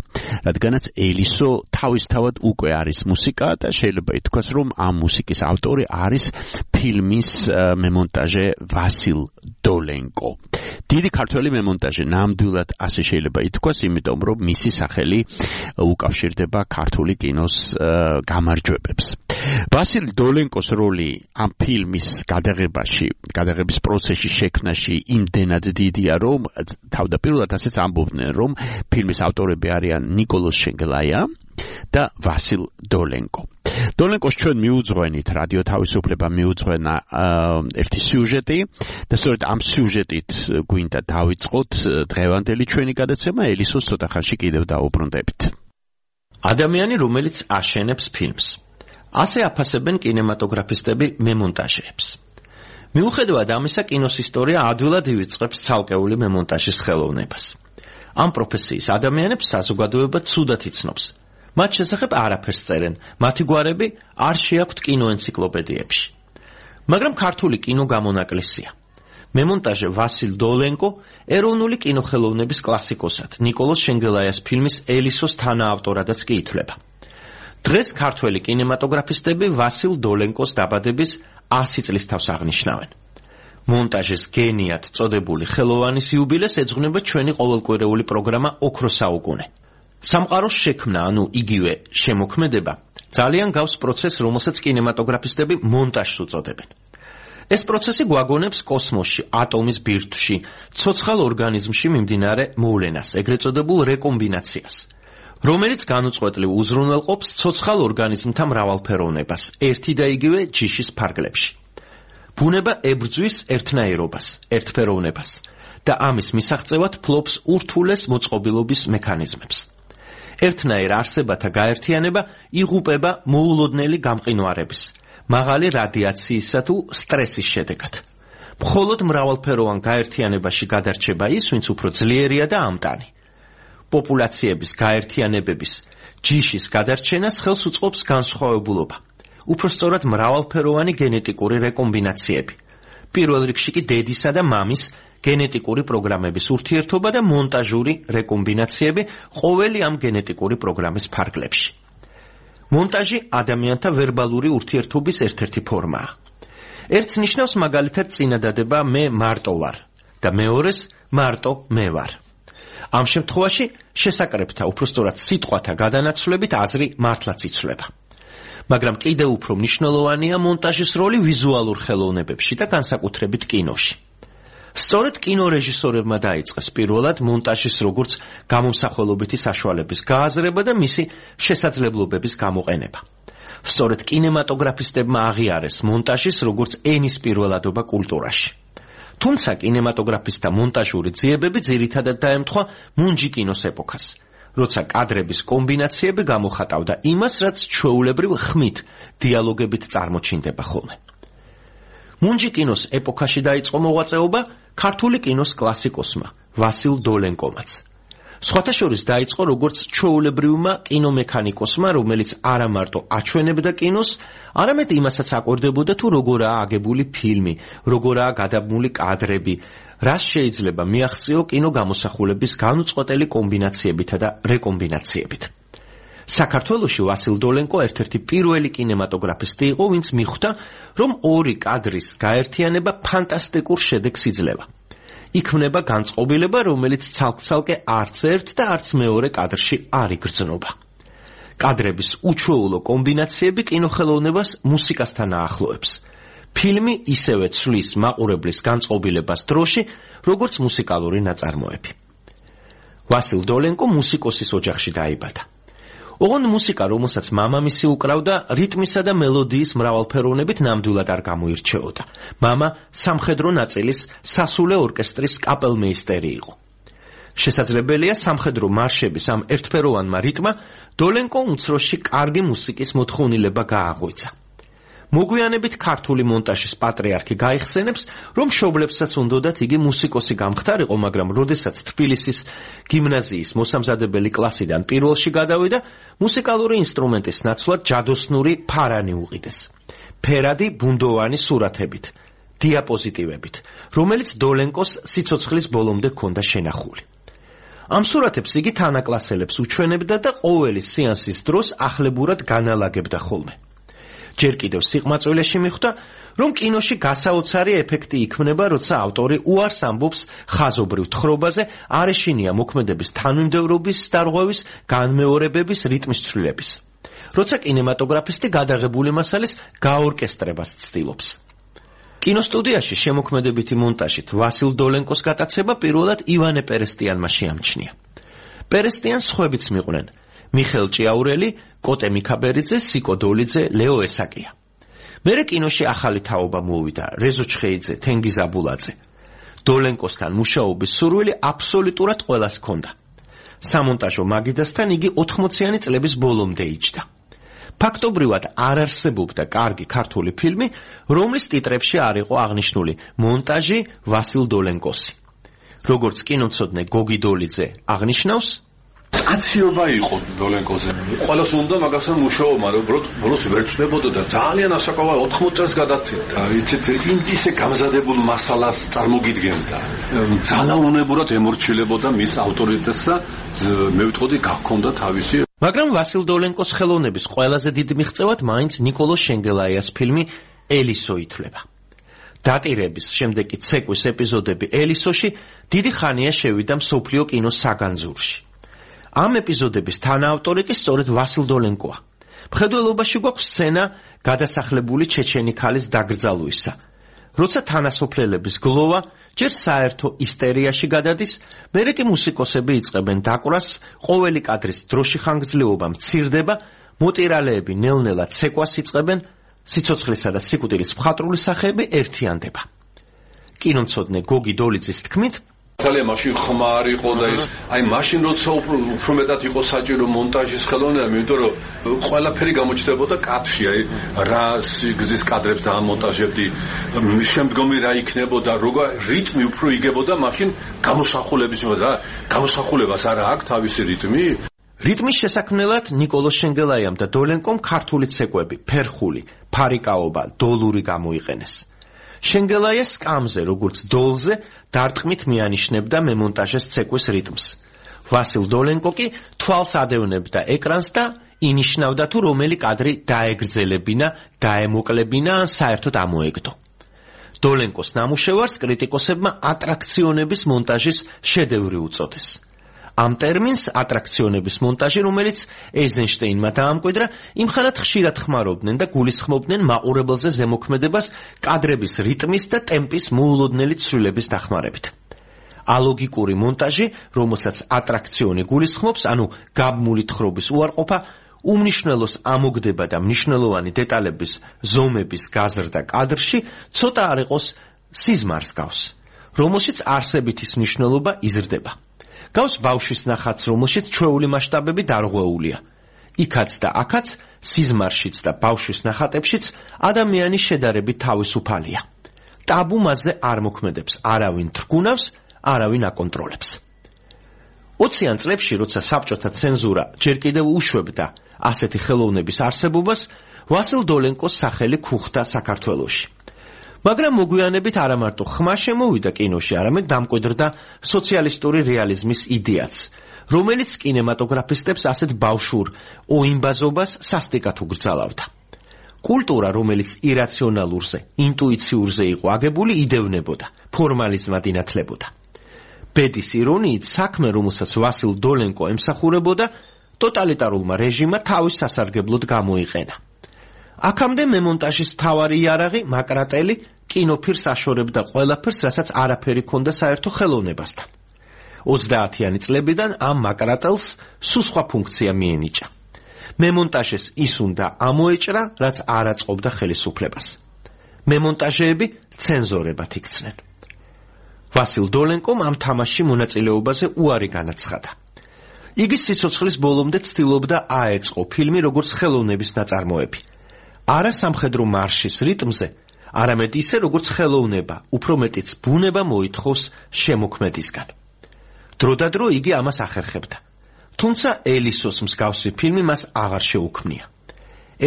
Speaker 4: რადგანაც ელისო თავისთავად უკვე არის მუსიკა და შეიძლება ითქვას, რომ ამ მუსიკის ავტორი არის ფილმის მემონტაჟე ვასილ დოლენკო. დიდი ქართველი მემონტაჟე, ნამდვილად ასე შეიძლება ითქვას, იმიტომ რომ მისი სახელი უკავშირდება ქართული კინოს გამარჯვებებს. ვასილ დოლენკოს როლი ამ ფილმის გადაღების პროცესში შექმნაში იმდენად დიდია, რომ თავდაპირველად ასეც ამბობდნენ, რომ ფილმის ავტორები არიან ნიკოლოზ შენგელაია და ვასილ დოლენკო. დოლენკოს ჩვენ მიუძღვენით, რადიო თავისუფლება მიუძღვენა ერთი სიუჟეტი და სწორედ ამ სიუჟეტით გვინდა დავიწყოთ დღევანდელი ჩვენი გადაცემა, ელისოს ცოტა ხანში კიდევ დაუბრუნდებით.
Speaker 14: ადამიანი, რომელიც აშენებს ფილმს. ასე აფასებენ კინემატოგრაფისტები მემონტაჟეებს. მიუხედავად ამისა, კინოს ისტორია ადვილად ივიწყებს ცალკეული მემონტაჟის ხელოვნებას. ამ პროფესიის ადამიანებს საზოგადოება ცუდად იცნობს. მათ შესახებ არაფერს წერენ, მათი გვარები არ შეაქვთ კინოენციკლოპედიებში. მაგრამ ქართული კინო გამონაკლისია. მემონტაჟე ვასილ დოლენკო ეროვნული კინოხელოვნების კლასიკოსად, ნიკოლოზ შენგელაიას ფილმის ელისოს თანაავტორადაც კი ითვლება. დღეს ქართველი კინემატოგრაფისტები ვასილ დოლენკოს დაბადების 100 წლის თავს აღნიშნავენ. მონტაჟის გენიად წოდებული ხელოვანის იუბილეს ეძღვნება ჩვენი ყოველკვირეული პროგრამა ოქროს საუკუნე. სამყაროს შექმნა, ანუ იგივე შემოქმედება, ძალიან გავს პროცესს, რომელსაც კინემატოგრაფისტები მონტაჟს უწოდებენ. ეს პროცესი გვაგონებს კოსმოსში, ატომის ბირთვში, ცოცხალ ორგანიზმში მიმდინარე მოვლენას, ეგრეთ წოდებულ რეკომბინაციას, რომელიც განუწყვეტლივ უზრუნველყოფს ცოცხალ ორგანიზმთა მრავალფეროვნებას, ერთი და იგივე ჯიშის ფარგლებში. ბუნება ებრძვის ერთნაირობას, ერთფეროვნებას და ამის მისაღწევად ფლობს ურთულეს მოწყობილობის მექანიზმებს. ერთნაირ არსებათა გაერთიანება იღუპება მოულოდნელი გამყინვარების, მაღალი რადიაციისა თუ სტრესის შედეგად. მხოლოდ მრავალფეროვან გაერთიანებაში გადარჩება ის, ვინც უფრო ძლიერია და ამტანი. პოპულაციების გაერთიანებების ჯიშის გადარჩენას ხელს უწყობს განსხვავებულობა. უფრო სწორად მრავალფეროვანი გენეტიკური რეკომბინაციები. პირველ რიგში კი დედისა და მამის გენეტიკური პროგრამების ურთიერთობა და მონტაჟური რეკომბინაციები ყოველი ამ გენეტიკური პროგრამის ფარგლებში. მონტაჟი ადამიანთა ვერბალური ურთიერთობის ერთ-ერთი ფორმაა. ერთს ნიშნავს მაგალითად წინადადება მე მარტო ვარ და მეორეს მარტო მე ვარ. ამ შემთხვევაში შესაკრებთა, უფრო სწორად სიტყვათა გადანაცვლებით აზრი მართლაც იცვლება. მაგრამ კიდევ უფრო მნიშვნელოვანია მონტაჟის როლი ვიზუალურ ხელოვნებებში და განსაკუთრებით კინოში. სწორედ კინორეჟისორებმა დაიწყეს პირველად მონტაჟის როგორც გამომსახველობითი საშუალების გააზრება და მისი შესაძლებლობების გამოყენება. სწორედ კინემატოგრაფისტებმა აღიარეს მონტაჟის როგორც ენის პირველადობა კულტურაში. თუმცა კინემატოგრაფისტთა მონტაჟური ძიებები ძირითადად დაემთხვა მუნჯი კინოს ეპოქას, როცა კადრების კომბინაციები გამოხატავდა იმას, რაც ჩვეულებრივ ხმით, დიალოგებით წარმოჩინდება ხოლმე. მუნჯი კინოს ეპოქაში დაიწყო მოღვაწეობა ქართული კინოს კლასიკოსმა ვასილ დოლენკომაც. სხვათა შორის დაიწყო როგორც ჩვეულებრივმა კინომექანიკოსმა, რომელიც არა მარტო აჩვენებდა კინოს, არამედ იმასაც აკვირდებოდა თუ როგორაა აგებული ფილმი, როგორაა გადაბმული კადრები, რას შეიძლება მიაღწიო კინო გამოსახულების განუწყვეტელი კომბინაციებითა და რეკომბინაციებით. საქართველოში ვასილ დოლენკო ერთ-ერთი პირველი კინემატოგრაფისტი იყო, ვინც მიხვდა, რომ ორი კადრის გაერთიანება ფანტასტიკურ შედეგს იძლევა. იქმნება განწყობილება, რომელიც ცალკ-ცალკე არც ერთ და არც მეორე კადრში არ იგრძნობა. კადრების უჩვეულო კომბინაციები კინოხელოვნებას მუსიკასთან აახლოებს. ფილმი ისევე ცვლის მაყურებლის განწყობილებას დროში, როგორც მუსიკალური ნაწარმოები. ვასილ დოლენკო მუსიკოსის ოჯახში დაიბადა. ოღონდ მუსიკა, რომელსაც მამამისი უკრავდა, რიტმისა და მელოდიის მრავალფეროვნებით ნამდვილად არ გამოირჩეოდა. მამა სამხედრო ნაწილის სასულე ორკესტრის კაპელმეისტერი იყო. შესაძლებელია სამხედრო მარშების ამ ერთფეროვანმა რიტმა დოლენკომ უმცროსში კარგი მუსიკის მოთხოვნილება გააღვიძა. მოგვიანებით ქართული მონტაჟის პატრიარქი გაიხსენებს, რომ მშობლებსაც უნდოდათ იგი მუსიკოსი გამხდარიყო, მაგრამ როდესაც თბილისის გიმნაზიის მოსამზადებელი კლასიდან პირველში გადავიდა, მუსიკალური ინსტრუმენტის ნაცვლად ჯადოსნური ფარანი უყიდეს. ფერადი ბუნდოვანი სურათებით, დიაპოზიტივებით, რომელიც დოლენკოს სიცოცხლის ბოლომდე ჰქონდა შენახული. ამ სურათებს იგი თანაკლასელებს უჩვენებდა და ყოველი სეანსის დროს ახლებურად განალაგებდა ხოლმე. ჯერ კიდევ სიყმაწვილეში მიხვდა, რომ კინოში გასაოცარი ეფექტი იქმნება, როცა ავტორი უარს ამბობს ხაზობრივ თხრობაზე, არ ეშინია მოქმედების თანმიმდევრობის დარღვევის, განმეორებების, რიტმის ცვლილების. როცა კინემატოგრაფისტი გადაღებული მასალის გაორკესტრებას ცდილობს. კინოსტუდიაში შემოქმედებითი მონტაჟით ვასილ დოლენკოს გატაცება პირველად ივანე პერესტიანმა შეამჩნია. პერესტიანს სხვებიც მიყვნენ: მიხელ ჭიაურელი, კოტე მიქაბერიძე, სიკო დოლიძე, ლეო ესაკია. მერე კინოში ახალი თაობა მოვიდა: რეზო ჩხეიძე, თენგიზ აბულაძე. დოლენკოსთან მუშაობის სურვილი აბსოლუტურად ყველას ჰქონდა. სამონტაჟო მაგიდასთან იგი 80-იანი წლების ბოლომდე იჯდა. ფაქტობრივად არ არსებობდა კარგი ქართული ფილმი, რომლის ტიტრებში არ იყო აღნიშნული მონტაჟი ვასილ დოლენკოსი. როგორც კინომცოდნე გოგი დოლიძე აღნიშნავს,
Speaker 1: აციობა იყო დოლენკოზე. ყველას უნდა მაგასთან მუშაობა, მაგრამ ბოლოს ვერ წდებოდა და ძალიან ასაკოვა 80 წელს გადაცემდა. იცით, ისე გამზადებულ მასალას წარმოგიდგენდა. ძალაუნებურად ემორჩილებოდა მის ავტორიტეტს და მე ვიტყოდი გაქონდა თავისი.
Speaker 14: მაგრამ ვასილ დოლენკოს ხელოვნების ყველაზე დიდ მიღწევად მაინც ნიკოლოს შენგელაიას ფილმი ელისო ითვლება. დატირების შემდეგი ცეკვის ეპიზოდები ელისოში დიდი ხანია შევიდა მსოფლიო კინოს საგანძურში. ამ ეპიზოდების თანაავტორი კი სწორედ ვასილ დოლენკოა. მხედველობაში გვაქვს სცენა გადასახლებული ჩეჩენი ქალის დაკრძალვისა. როცა თანასოფლელების გლოვა ჯერ საერთო ისტერიაში გადადის, მერე კი მუსიკოსები იწყებენ დაკვრას, ყოველი კადრის დროში ხანგრძლივობა მცირდება, მოტირალეები ნელ-ნელა ცეკვას იწყებენ, სიცოცხლისა და სიკვდილის მხატვრული სახეები ერთიანდება. კინომცოდნე გოგი დოლიძის თქმით,
Speaker 1: ძალიან მაშინ ხმარ იყო და ის მაშინ როცა უფრო მეტად იყო საჭირო მონტაჟის ხელოვნება, იმიტომ რომ ყველაფერი გამოჩნდებოდა კადრში, რა სიგზის კადრებს დაამონტაჟებდი, შემდგომი რა იქნებოდა, როგორ რიტმი უფრო იგებოდა, მაშინ გამოსახულების რა, გამოსახულებას არა აქვს თავისი რიტმი.
Speaker 14: რიტმის შესაქმნელად ნიკოლოს შენგელაიამ და დოლენკომ ქართული ცეკვები, ფერხული, ფარიკაობა, დოლური გამოიყენეს. შენგელაია სკამზე, როგორც დოლზე, დარტყმით მიანიშნებდა მემონტაჟეს ცეკვის რიტმს. ვასილ დოლენკო კი თვალს ადევნებდა ეკრანს და ინიშნავდა თუ რომელი კადრი დაეგრძელებინა, დაემოკლებინა ან საერთოდ ამოეგდო. დოლენკოს ნამუშევარს კრიტიკოსებმა ატრაქციონების მონტაჟის შედევრი უწოდეს. ამ ტერმინს ატრაქციონების მონტაჟი, რომელიც ეიზენშტეინმა დაამკვიდრა, იმხანად ხშირად ხმარობდნენ და გულისხმობდნენ მაყურებელზე ზემოქმედებას კადრების რიტმის და ტემპის მოულოდნელი ცვლილების დახმარებით. ალოგიკური მონტაჟი, რომელსაც ატრაქციონი გულისხმობს, ანუ გაბმული თხრობის უარყოფა, უმნიშვნელოს ამოგდება და მნიშვნელოვანი დეტალების ზომების გაზრდა კადრში ცოტა არ იყოს სიზმარს გავს, რომელშიც არსებითის მნიშვნელობა იზრდება. გავს ბავშვის ნახატს, რომელშიც ჩვეული მასშტაბები დარღვეულია. იქაც და აქაც, სიზმარშიც და ბავშვის ნახატებშიც ადამიანის შედარებით თავისუფალია. ტაბუ მასზე არ მოქმედებს, არავინ თრგუნავს, არავინ აკონტროლებს. 20-იან წლებში, როცა საბჭოთა ცენზურა ჯერ კიდევ უშვებდა ასეთი ხელოვნების არსებობას, ვასილ დოლენკოს სახელი ქუხდა საქართველოში. მაგრამ მოგვიანებით არა მარტო ხმა შემოვიდა კინოში, არამედ დამკვიდრდა სოციალისტური რეალიზმის იდეაც, რომელიც კინემატოგრაფისტებს ასეთ ბავშვურ ოიმბაზობას სასტიკად უგრძალავდა. კულტურა, რომელიც ირაციონალურზე, ინტუიციურზე იყო აგებული, იდევნებოდა, ფორმალიზმად ინათლებოდა. ბედის ირონიით საქმე, რომელსაც ვასილ დოლენკო ემსახურებოდა, ტოტალიტარულმა რეჟიმმა თავის სასარგებლოდ გამოიყენა. აქამდე მემონტაჟის მთავარი იარაღი მაკრატელი კინოფილმს აშორებდა ყველაფერს, რასაც არაფერი ჰქონდა საერთო ხელოვნებასთან. 30-იანი წლებიდან ამ მაკრატელს სულ სხვა ფუნქცია მიენიჭა. მემონტაჟეს ის უნდა ამოეჭრა, რაც არ აწყობდა ხელისუფლებას. მემონტაჟეები ცენზორებად იქცნენ. ვასილ დოლენკომ ამ თამაშში მონაწილეობაზე უარი განაცხადა. იგი სიცოცხლის ბოლომდე ცდილობდა აეწყო ფილმი როგორც ხელოვნების ნაწარმოები. არა სამხედრო მარშის რიტმზე, არამედ ისე როგორც ხელოვნება, უფრო მეტიც ბუნება მოითხოვს შემოქმედისგან. დროდადრო იგი ამას ახერხებდა. თუმცა ელისოს მსგავსი ფილმი მას აღარ შეუქმნია.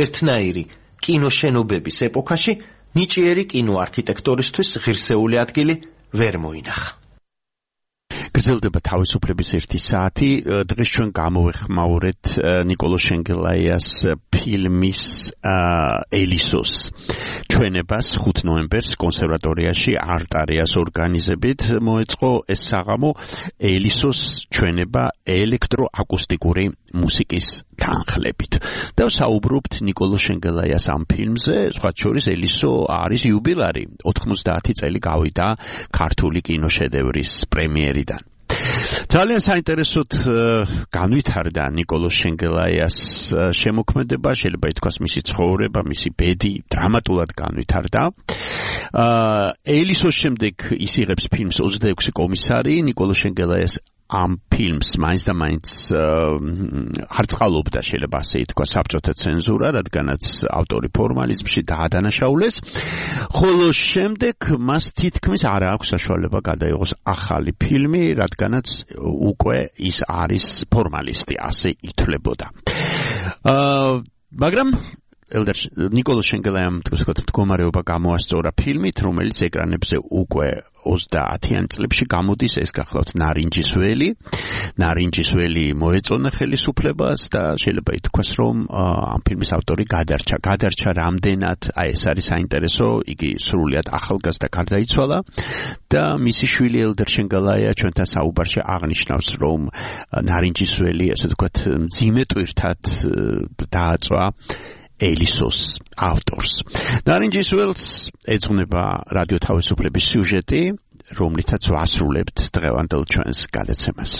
Speaker 14: ერთნაირი კინოშენობების ეპოქაში ნიჭიერი კინოარქიტექტორისთვის ღირსეული ადგილი ვერ მოინახა.
Speaker 4: გრძელდება თავისუფლების 1 საათი. დღეს ჩვენ გამოვეხმაურეთ ნიკოლო შენგელაიას ფილმის ელისოს ჩვენებას 5 ნოემბერს კონსერვატორიაში არტარიას ორგანიზებით მოეწყო ეს საღამო ელისოს ჩვენება ელექტროაკუსტიკური მუსიკის თანხლებით. და საუბრობთ ნიკოლო შენგელაიას ამ ფილმზე, სხვა შორის ელისო არის იუბილარი. 90 წელი გავიდა ქართული კინოშედევრის პრემიერიდან. ძალიან საინტერესოდ განვითარდა ნიკოლო შენგელაიას შემოქმედება, შეიძლება ითქვას მისი ცხოვრება, მისი ბედი დრამატულად განვითარდა. ელისოს შემდეგ ის იღებს ფილმს 26 კომისარი. ნიკოლო შენგელაიას ამ ფილმს მაინც და მაინც არ წყალობდა, შეიძლება ასე ითქვა, საბჭოთა ცენზურა, რადგანაც ავტორი ფორმალიზმში დაადანაშაულეს, ხოლო შემდეგ მას თითქმის არ აქვს საშუალება გადაიღოს ახალი ფილმი, რადგანაც უკვე ის არის ფორმალისტი, ასე ითვლებოდა. მაგრამ ნიკოლო შენგელაიამ მდგომარეობა გამოასწორა ფილმით, რომელიც ეკრანებზე უკვე 30-იან წლებში გამოდის, ეს გახლავთ ნარინჯის ველი. ნარინჯის ველი მოეწონა ხელისუფლებას და შეიძლება ითქვას, რომ ამ ფილმის ავტორი გადარჩა რამდენად, ეს არის საინტერესო, იგი სრულიად ახალგაზრდა გარდაიცვალა და მისი შვილი ელდერ შენგელაია ჩვენთან საუბარში აღნიშნავს, რომ ნარინჯის ველი, ასე ვთქვათ, მძიმე ტვირთად დააწვა ელისოს ავტორს. ნარინჯის ველს ეძღვნება რადიო თავისუფლების სიუჟეტი, რომლითაც ვასრულებთ დღევანდელ ჩვენს გადაცემას.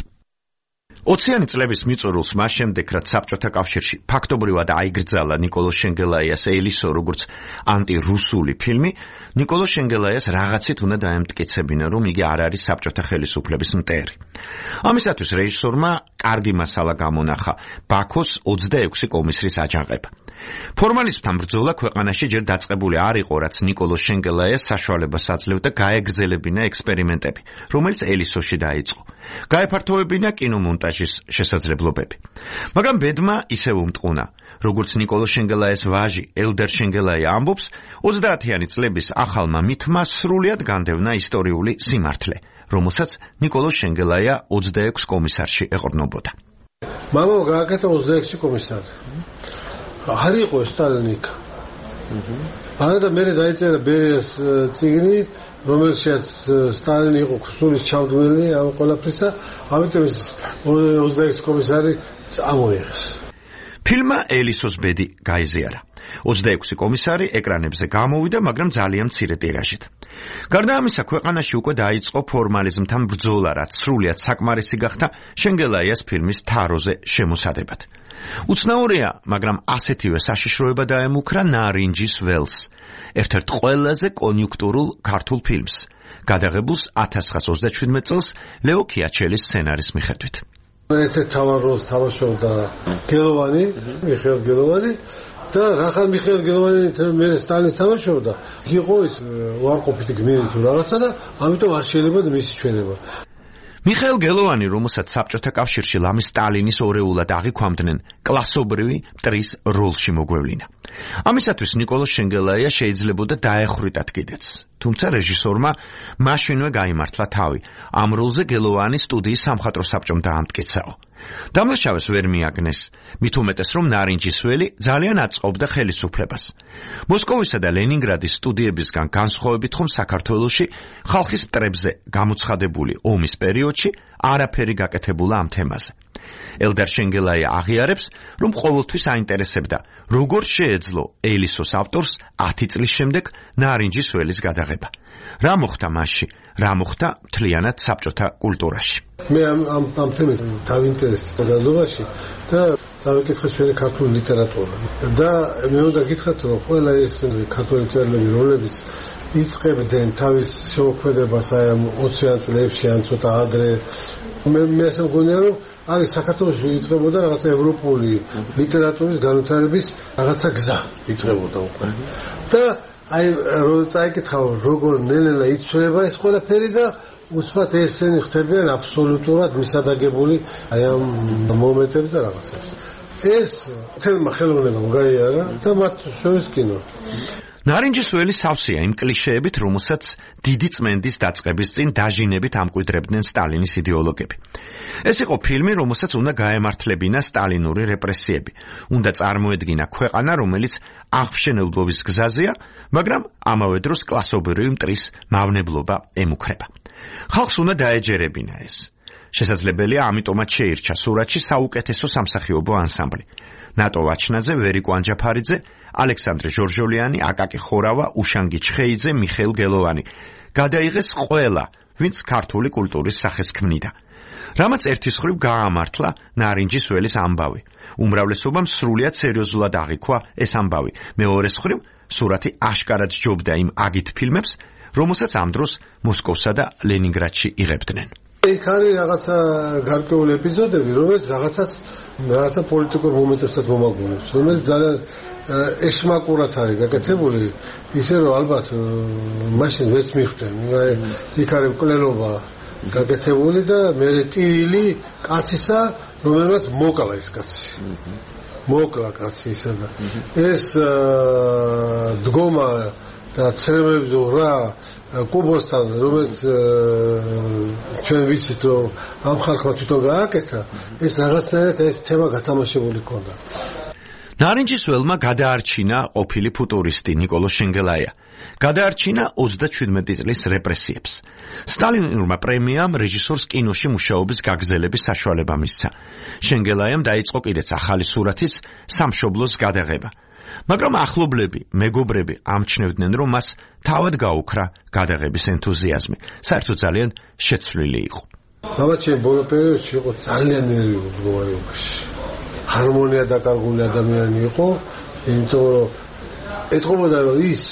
Speaker 4: 20-იანი წლების მიწურულს მას შემდეგ, რაც საბჭოთა კავშირში ფაქტობრივად აიგრძალა ნიკოლო შენგელაიას ელისო როგორც ანტირუსული ფილმი, ნიკოლო შენგელაიას რაღაცით უნდა დაემტკიცებინა, რომ იგი არ არის საბჭოთა ხელისუფლების მტერი. ამისათვის რეჟისორმა კარგი მასალა გამონახა ბაქოს 26 კომისრის აჯანყება. ფორმალისტთან ბრძოლა ქვეყანაში ჯერ დაწყებული არ იყო, რაც ნიკოლო შენგელაიას საშუალებას აძლევდა გაეგრძელებინა ექსპერიმენტები, რომელიც ელისოში დაიწყო. გაეფართოვებინა კინომონტაჟის შესაძლებლობები. მაგრამ ბედმა ისევ უმტყუნა. როგორც ნიკოლო შენგელაიას ვაჟი ელდერ შენგელაია ამბობს, 30-იანი წლების ახალმა მითმა სრულიად განდევნა ისტორიული სიმართლე, რომელსაც ნიკოლო შენგელაია 26 კომისარში ეყრდნობოდა.
Speaker 15: მამამ გააკეთა 26 კომისარი. არ იყო სტალინიკა. არა და მე დაიწერა ბერიას წიგნი, რომელშიც სტალინი იყო ქსულის ჩავდმელი ამ ყველაფრისა, ამიტომ 26 კომისარი ამოიღეს.
Speaker 14: ფილმმა ელისოს ბედი გაიზიარა. 26 კომისარი ეკრანებზე გამოვიდა, მაგრამ ძალიან მცირე ტირაჟით. გარდა ამისა, ქვეყანაში უკვე დაიწყო ფორმალიზმთან ბრძოლა, რაც სრულიად საკმარისი გახდა შენგელაიას ფილმის თაროზე შემოსადებად. უცნაურია, მაგრამ ასეთივე საშიშროება დაემუქრა ნარინჯის ველს, ერთ-ერთ ყველაზე კონიუნქტურულ ქართულ ფილმს, გადაღებულს 1927 წელს ლეო ქიაჩელის სცენარის მიხედვით.
Speaker 15: ერთ-ერთ თავარ როლს თამაშობდა გელოვანი, მიხეილ გელოვანი და რახან მიხეილ გელოვანი მე სტალინის თამაშობდა, იყო ის უარყოფითი გმირი თუ რაღაცა და ამიტომ არ შეიძლება მისი ჩვენება.
Speaker 14: მიხეილ გელოვანი, რომელსაც საბჭოთა კავშირში ლამის სტალინის ორეულად აღიქვამდნენ, კლასობრივი მტრის როლში მოგვევლინა. ამისათვის ნიკოლო შენგელაია შეიძლებოდა დაეხრიტათ კიდეც. თუმცა რეჟისორმა მაშინვე გაიმართლა თავი. ამ როლზე გელოვანი სტუდიის სამხატვრო საბჭომ დაამტკიცაო.
Speaker 4: დამლაშავეს ვერ მიაგნეს, მით უმეტეს რომ ნარინჯისველი ძალიან აწყობდა ხელისუფლებას. მოსკოვისა და ლენინგრადის სტუდიებისგან განსხვავებით ხომ საქართველოში ხალხის მტრებზე გამოცხადებული ომის პერიოდში არაფერი გაკეთებულა ამ თემაზე. ელდარ შენგელაია აღიარებს, რომ ყოველთვის აინტერესებდა, როგორ შეეძლო ელისოს ავტორს 10 წლის შემდეგ ნარინჯისველის გადაღება. რა მოხდა მასში, რა მოხდა მთლიანად საბჭოთა კულტურაში.
Speaker 15: მე ამ თემით დავინტერესდი განმავლობაში და დავიკითხე ჩვენი ქართული ლიტერატურა. და მე უნდა გითხრათ, რომ ყველა ეს ქართული მწერლები, რომლებიც იწყებდნენ თავის შემოქმედებას აი ამ 20-იან წლებში ან ცოტა ადრე, მე ასე მგონია, რომ აი საქართველოში იწყებოდა რაღაცა ევროპული ლიტერატურის განვითარების რაღაცა გზა იწყებოდა უკვე. და აი რომ წაიკითხავ როგორ ნელ-ნელა იცვლება ეს ყველაფერი და უსმათ ესენი ხდებიან აბსოლუტურად მისადაგებული აი ამ მომენტებს და რაღაცებს. ეს თელმა ხელოვნებამ გაიარა და მათ შორის კინო.
Speaker 4: ნარინჯისველი სავსეა იმ კლიშეებით, რომელსაც დიდი წმენდის დაწყების წინ დაჟინებით ამკვიდრებდნენ სტალინის იდეოლოგები. ეს იყო ფილმი, რომელსაც უნდა გაემართლებინა სტალინური რეპრესიები. უნდა წარმოედგინა ქვეყანა, რომელიც აღმშენებლობის გზაზეა, მაგრამ ამავე დროს კლასობრივი მტრის მავნებლობა ემუქრება. ხალხს უნდა დაეჯერებინა ეს. შესაძლებელია, ამიტომაც შეირჩა სურათში საუკეთესო სამსახიობო ანსამბლი. ნატო ვაჩნაძე, ვერიკო ანჯაფარიძე, ალექსანდრე ჟორჟოლიანი, აკაკი ხორავა, უშანგი ჩხეიძე, მიხეილ გელოვანი. გადაიღეს ყველა, ვინც ქართული კულტურის სახეს ქმნიდა. რამაც ერთის მხრივ გაამართლა ნარინჯისველის ამბავი. უმრავლესობამ სრულიად სერიოზულად აღიქვა ეს ამბავი. მეორეს მხრივ სურათი აშკარად ჯობდა იმ აგით ფილმებს, რომელსაც ამ დროს მოსკოვსა და ლენინგრადში იღებდნენ.
Speaker 15: იქ არის რაღაცა გარკვეული ეპიზოდები, რომელიც რაღაცა პოლიტიკურ მომენტებსაც მომაგონებს, რომელიც ძალიან ეშმაკურად არის გაკეთებული, ისე რომ ალბათ მაშინ ვეც მიხვდნენ. იქ არის მკვლელობა გაკეთებული და მე ტირილი კაცისა, რომელმაც მოკლა ეს კაცი. მოკლა კაცი ისა და ეს დგომა და ცრემებზე რა კუბოსთან, რომელიც ჩვენ ვიცით, რომ ამ ხალხმა თვითონ გააკეთა, ეს რაღაცნაირად ეს თემა გათამაშებული ჰქონდა.
Speaker 4: ნარინჯისველმა გადაარჩინა ყოფილი ფუტურისტი ნიკოლო შენგელაია. გადაარჩინა 37 წლის რეპრესიებს. სტალინურმა პრემიამ რეჟისორს კინოში მუშაობის გაგრძელების საშუალება მისცა. შენგელაიამ დაიწყო კიდეც ახალი სურათის სამშობლოს გადაღება. მაგრამ ახლობლები, მეგობრები ამჩნევდნენ, რომ მას თავად გაუქრა გადაღების ენთუზიაზმი. საერთოდ ძალიან შეცვლილი იყო.
Speaker 15: მამაც ჩემ ბოლო პერიოდში იყო ძალიან ნერვიულ მდგომარეობაში. ჰარმონია დაკარგული ადამიანი იყო, იმიტომ რომ ეთყობოდა, რომ ის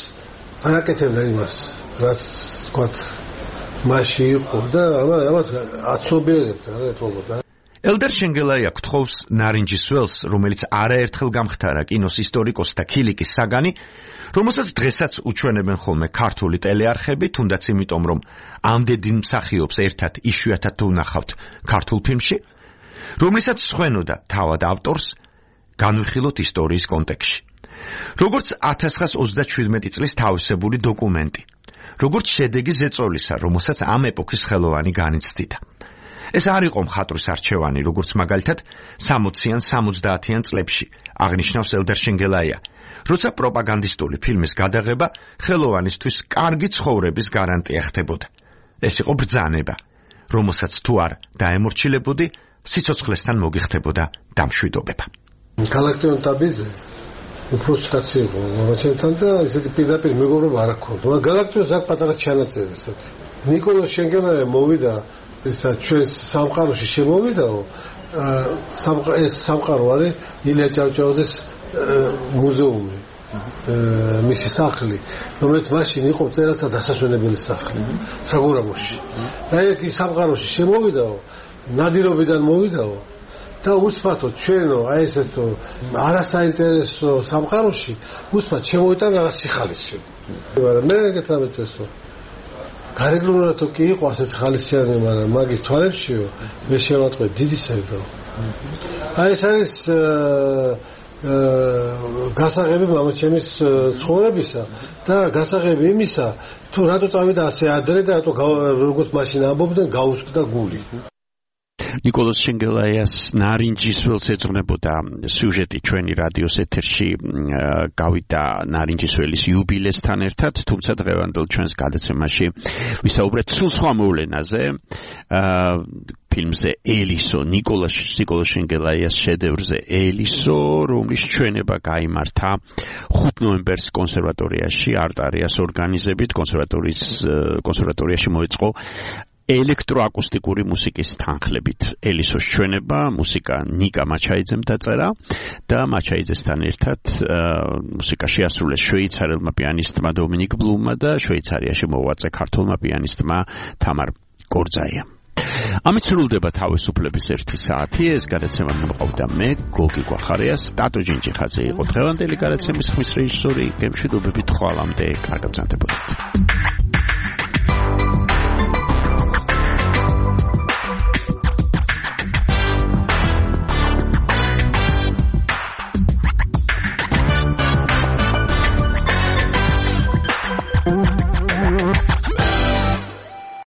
Speaker 15: არ აკეთებდა იმას, რაც თქვათ მასში იყო და ამას აცნობიერებდა, რა ეთყობოდა.
Speaker 4: ელდარ შენგელაია გთხოვს ნარინჯისველს, რომელიც არაერთხელ გამხდარა კინოს ისტორიკოსთა ქილიკის საგანი, რომელსაც დღესაც უჩვენებენ ხოლმე ქართული ტელეარხები, თუნდაც იმიტომ, რომ ამდენ მსახიობს ერთად იშვიათად ვნახავთ ქართულ ფილმში, რომლისაც სხვენოდა თავად ავტორს, განვიხილოთ ისტორიის კონტექსტში. როგორც 1927 წლის თავისებური დოკუმენტი, როგორც შედეგი ზეწოლისა, რომელსაც ამ ეპოქის ხელოვანი განიცდიდა. ეს არ იყო მხატვრის არჩევანი, როგორც მაგალითად 60-იან 70-იან წლებში აღნიშნავს ელდარ შენგელაია, როცა პროპაგანდისტული ფილმის გადაღება ხელოვანისთვის კარგი ცხოვრების გარანტია ხდებოდა. ეს იყო ბრძანება, რომელსაც თუ არ დაემორჩილებოდი, სიცოცხლესთან მოგიხდებოდა დამშვიდობება.
Speaker 15: გალაქტიონ ტაბიძე უფროსი კაცი იყო მამაჩემთან და ესეთი პირდაპირ მეგობრობა არ ჰქონდა. გალაქტიონს აქ პატარა ჩანაწერი ესეთი. ნიკოლო შენგელაია მოვიდა ესა ჩვენ სამყაროში შემოვიდაო, ეს სამყარო არის ილია ჭავჭავაძის მუზეუმი, მისი სახლი, რომელიც მაშინ იყო წერათა დასასვენებელი სახლი საგურამოში. და იქ სამყაროში შემოვიდაო, ნადირობიდან მოვიდაო და უსმათო ჩვენო აი ესეთო არასაინტერესო სამყაროში უსმათ შემოვიტან რაღაც სიხალიში. მაგრამ მე გეტყვით გარეგნულადო კი იყო ასეთი ხალისიანი, მაგრამ მაგის თვალებშიო მე შევატყვე დიდი სევდა. აი ეს არის გასაღები მამაჩემის ცხოვრებისა და გასაღები იმისა, თუ რატო წავიდა ასე ადრე და რატო როგორც მაშინ ამბობდნენ გაუსკდა გული.
Speaker 4: ნიკოლოზ შენგელაიას ნარინჯის ველს ეძღვნებოდა სიუჟეტი ჩვენი რადიოს ეთერში გავიდა ნარინჯის ველის იუბილესთან ერთად, თუმცა დღევანდელ ჩვენს გადაცემაში ვისაუბრეთ სულ სხვა მოვლენაზე, ფილმზე ელისო, ნიკოლოზ შენგელაიას შედევრზე ელისო, რომლის ჩვენება გაიმართა 5 ნოემბერს კონსერვატორიაში, არტარიას ორგანიზებით, კონსერვატორიაში მოეწყო ელექტროაკუსტიკური მუსიკის თანხლებით. ელისოს ჩვენება, მუსიკა ნიკა მაჩაიძემ დაწერა და მაჩაიძესთან ერთად მუსიკა შეასრულეს შვეიცარელმა პიანისტმა დომინიკ ბლუმმა და შვეიცარიაში მოღვაწე ქართველმა პიანისტმა თამარ გორძაიამ. ამით სრულდება თავისუფლების 1 საათი. ეს გადაცემა მომყავდა მე, გოგი გვახარიას, ტატო ჯინჯიხაძე იყო დღევანდელი გადაცემის ხმის რეჟისორი. გემშვიდობებით ხვალამდე, კარგად გრძანდებოდეთ.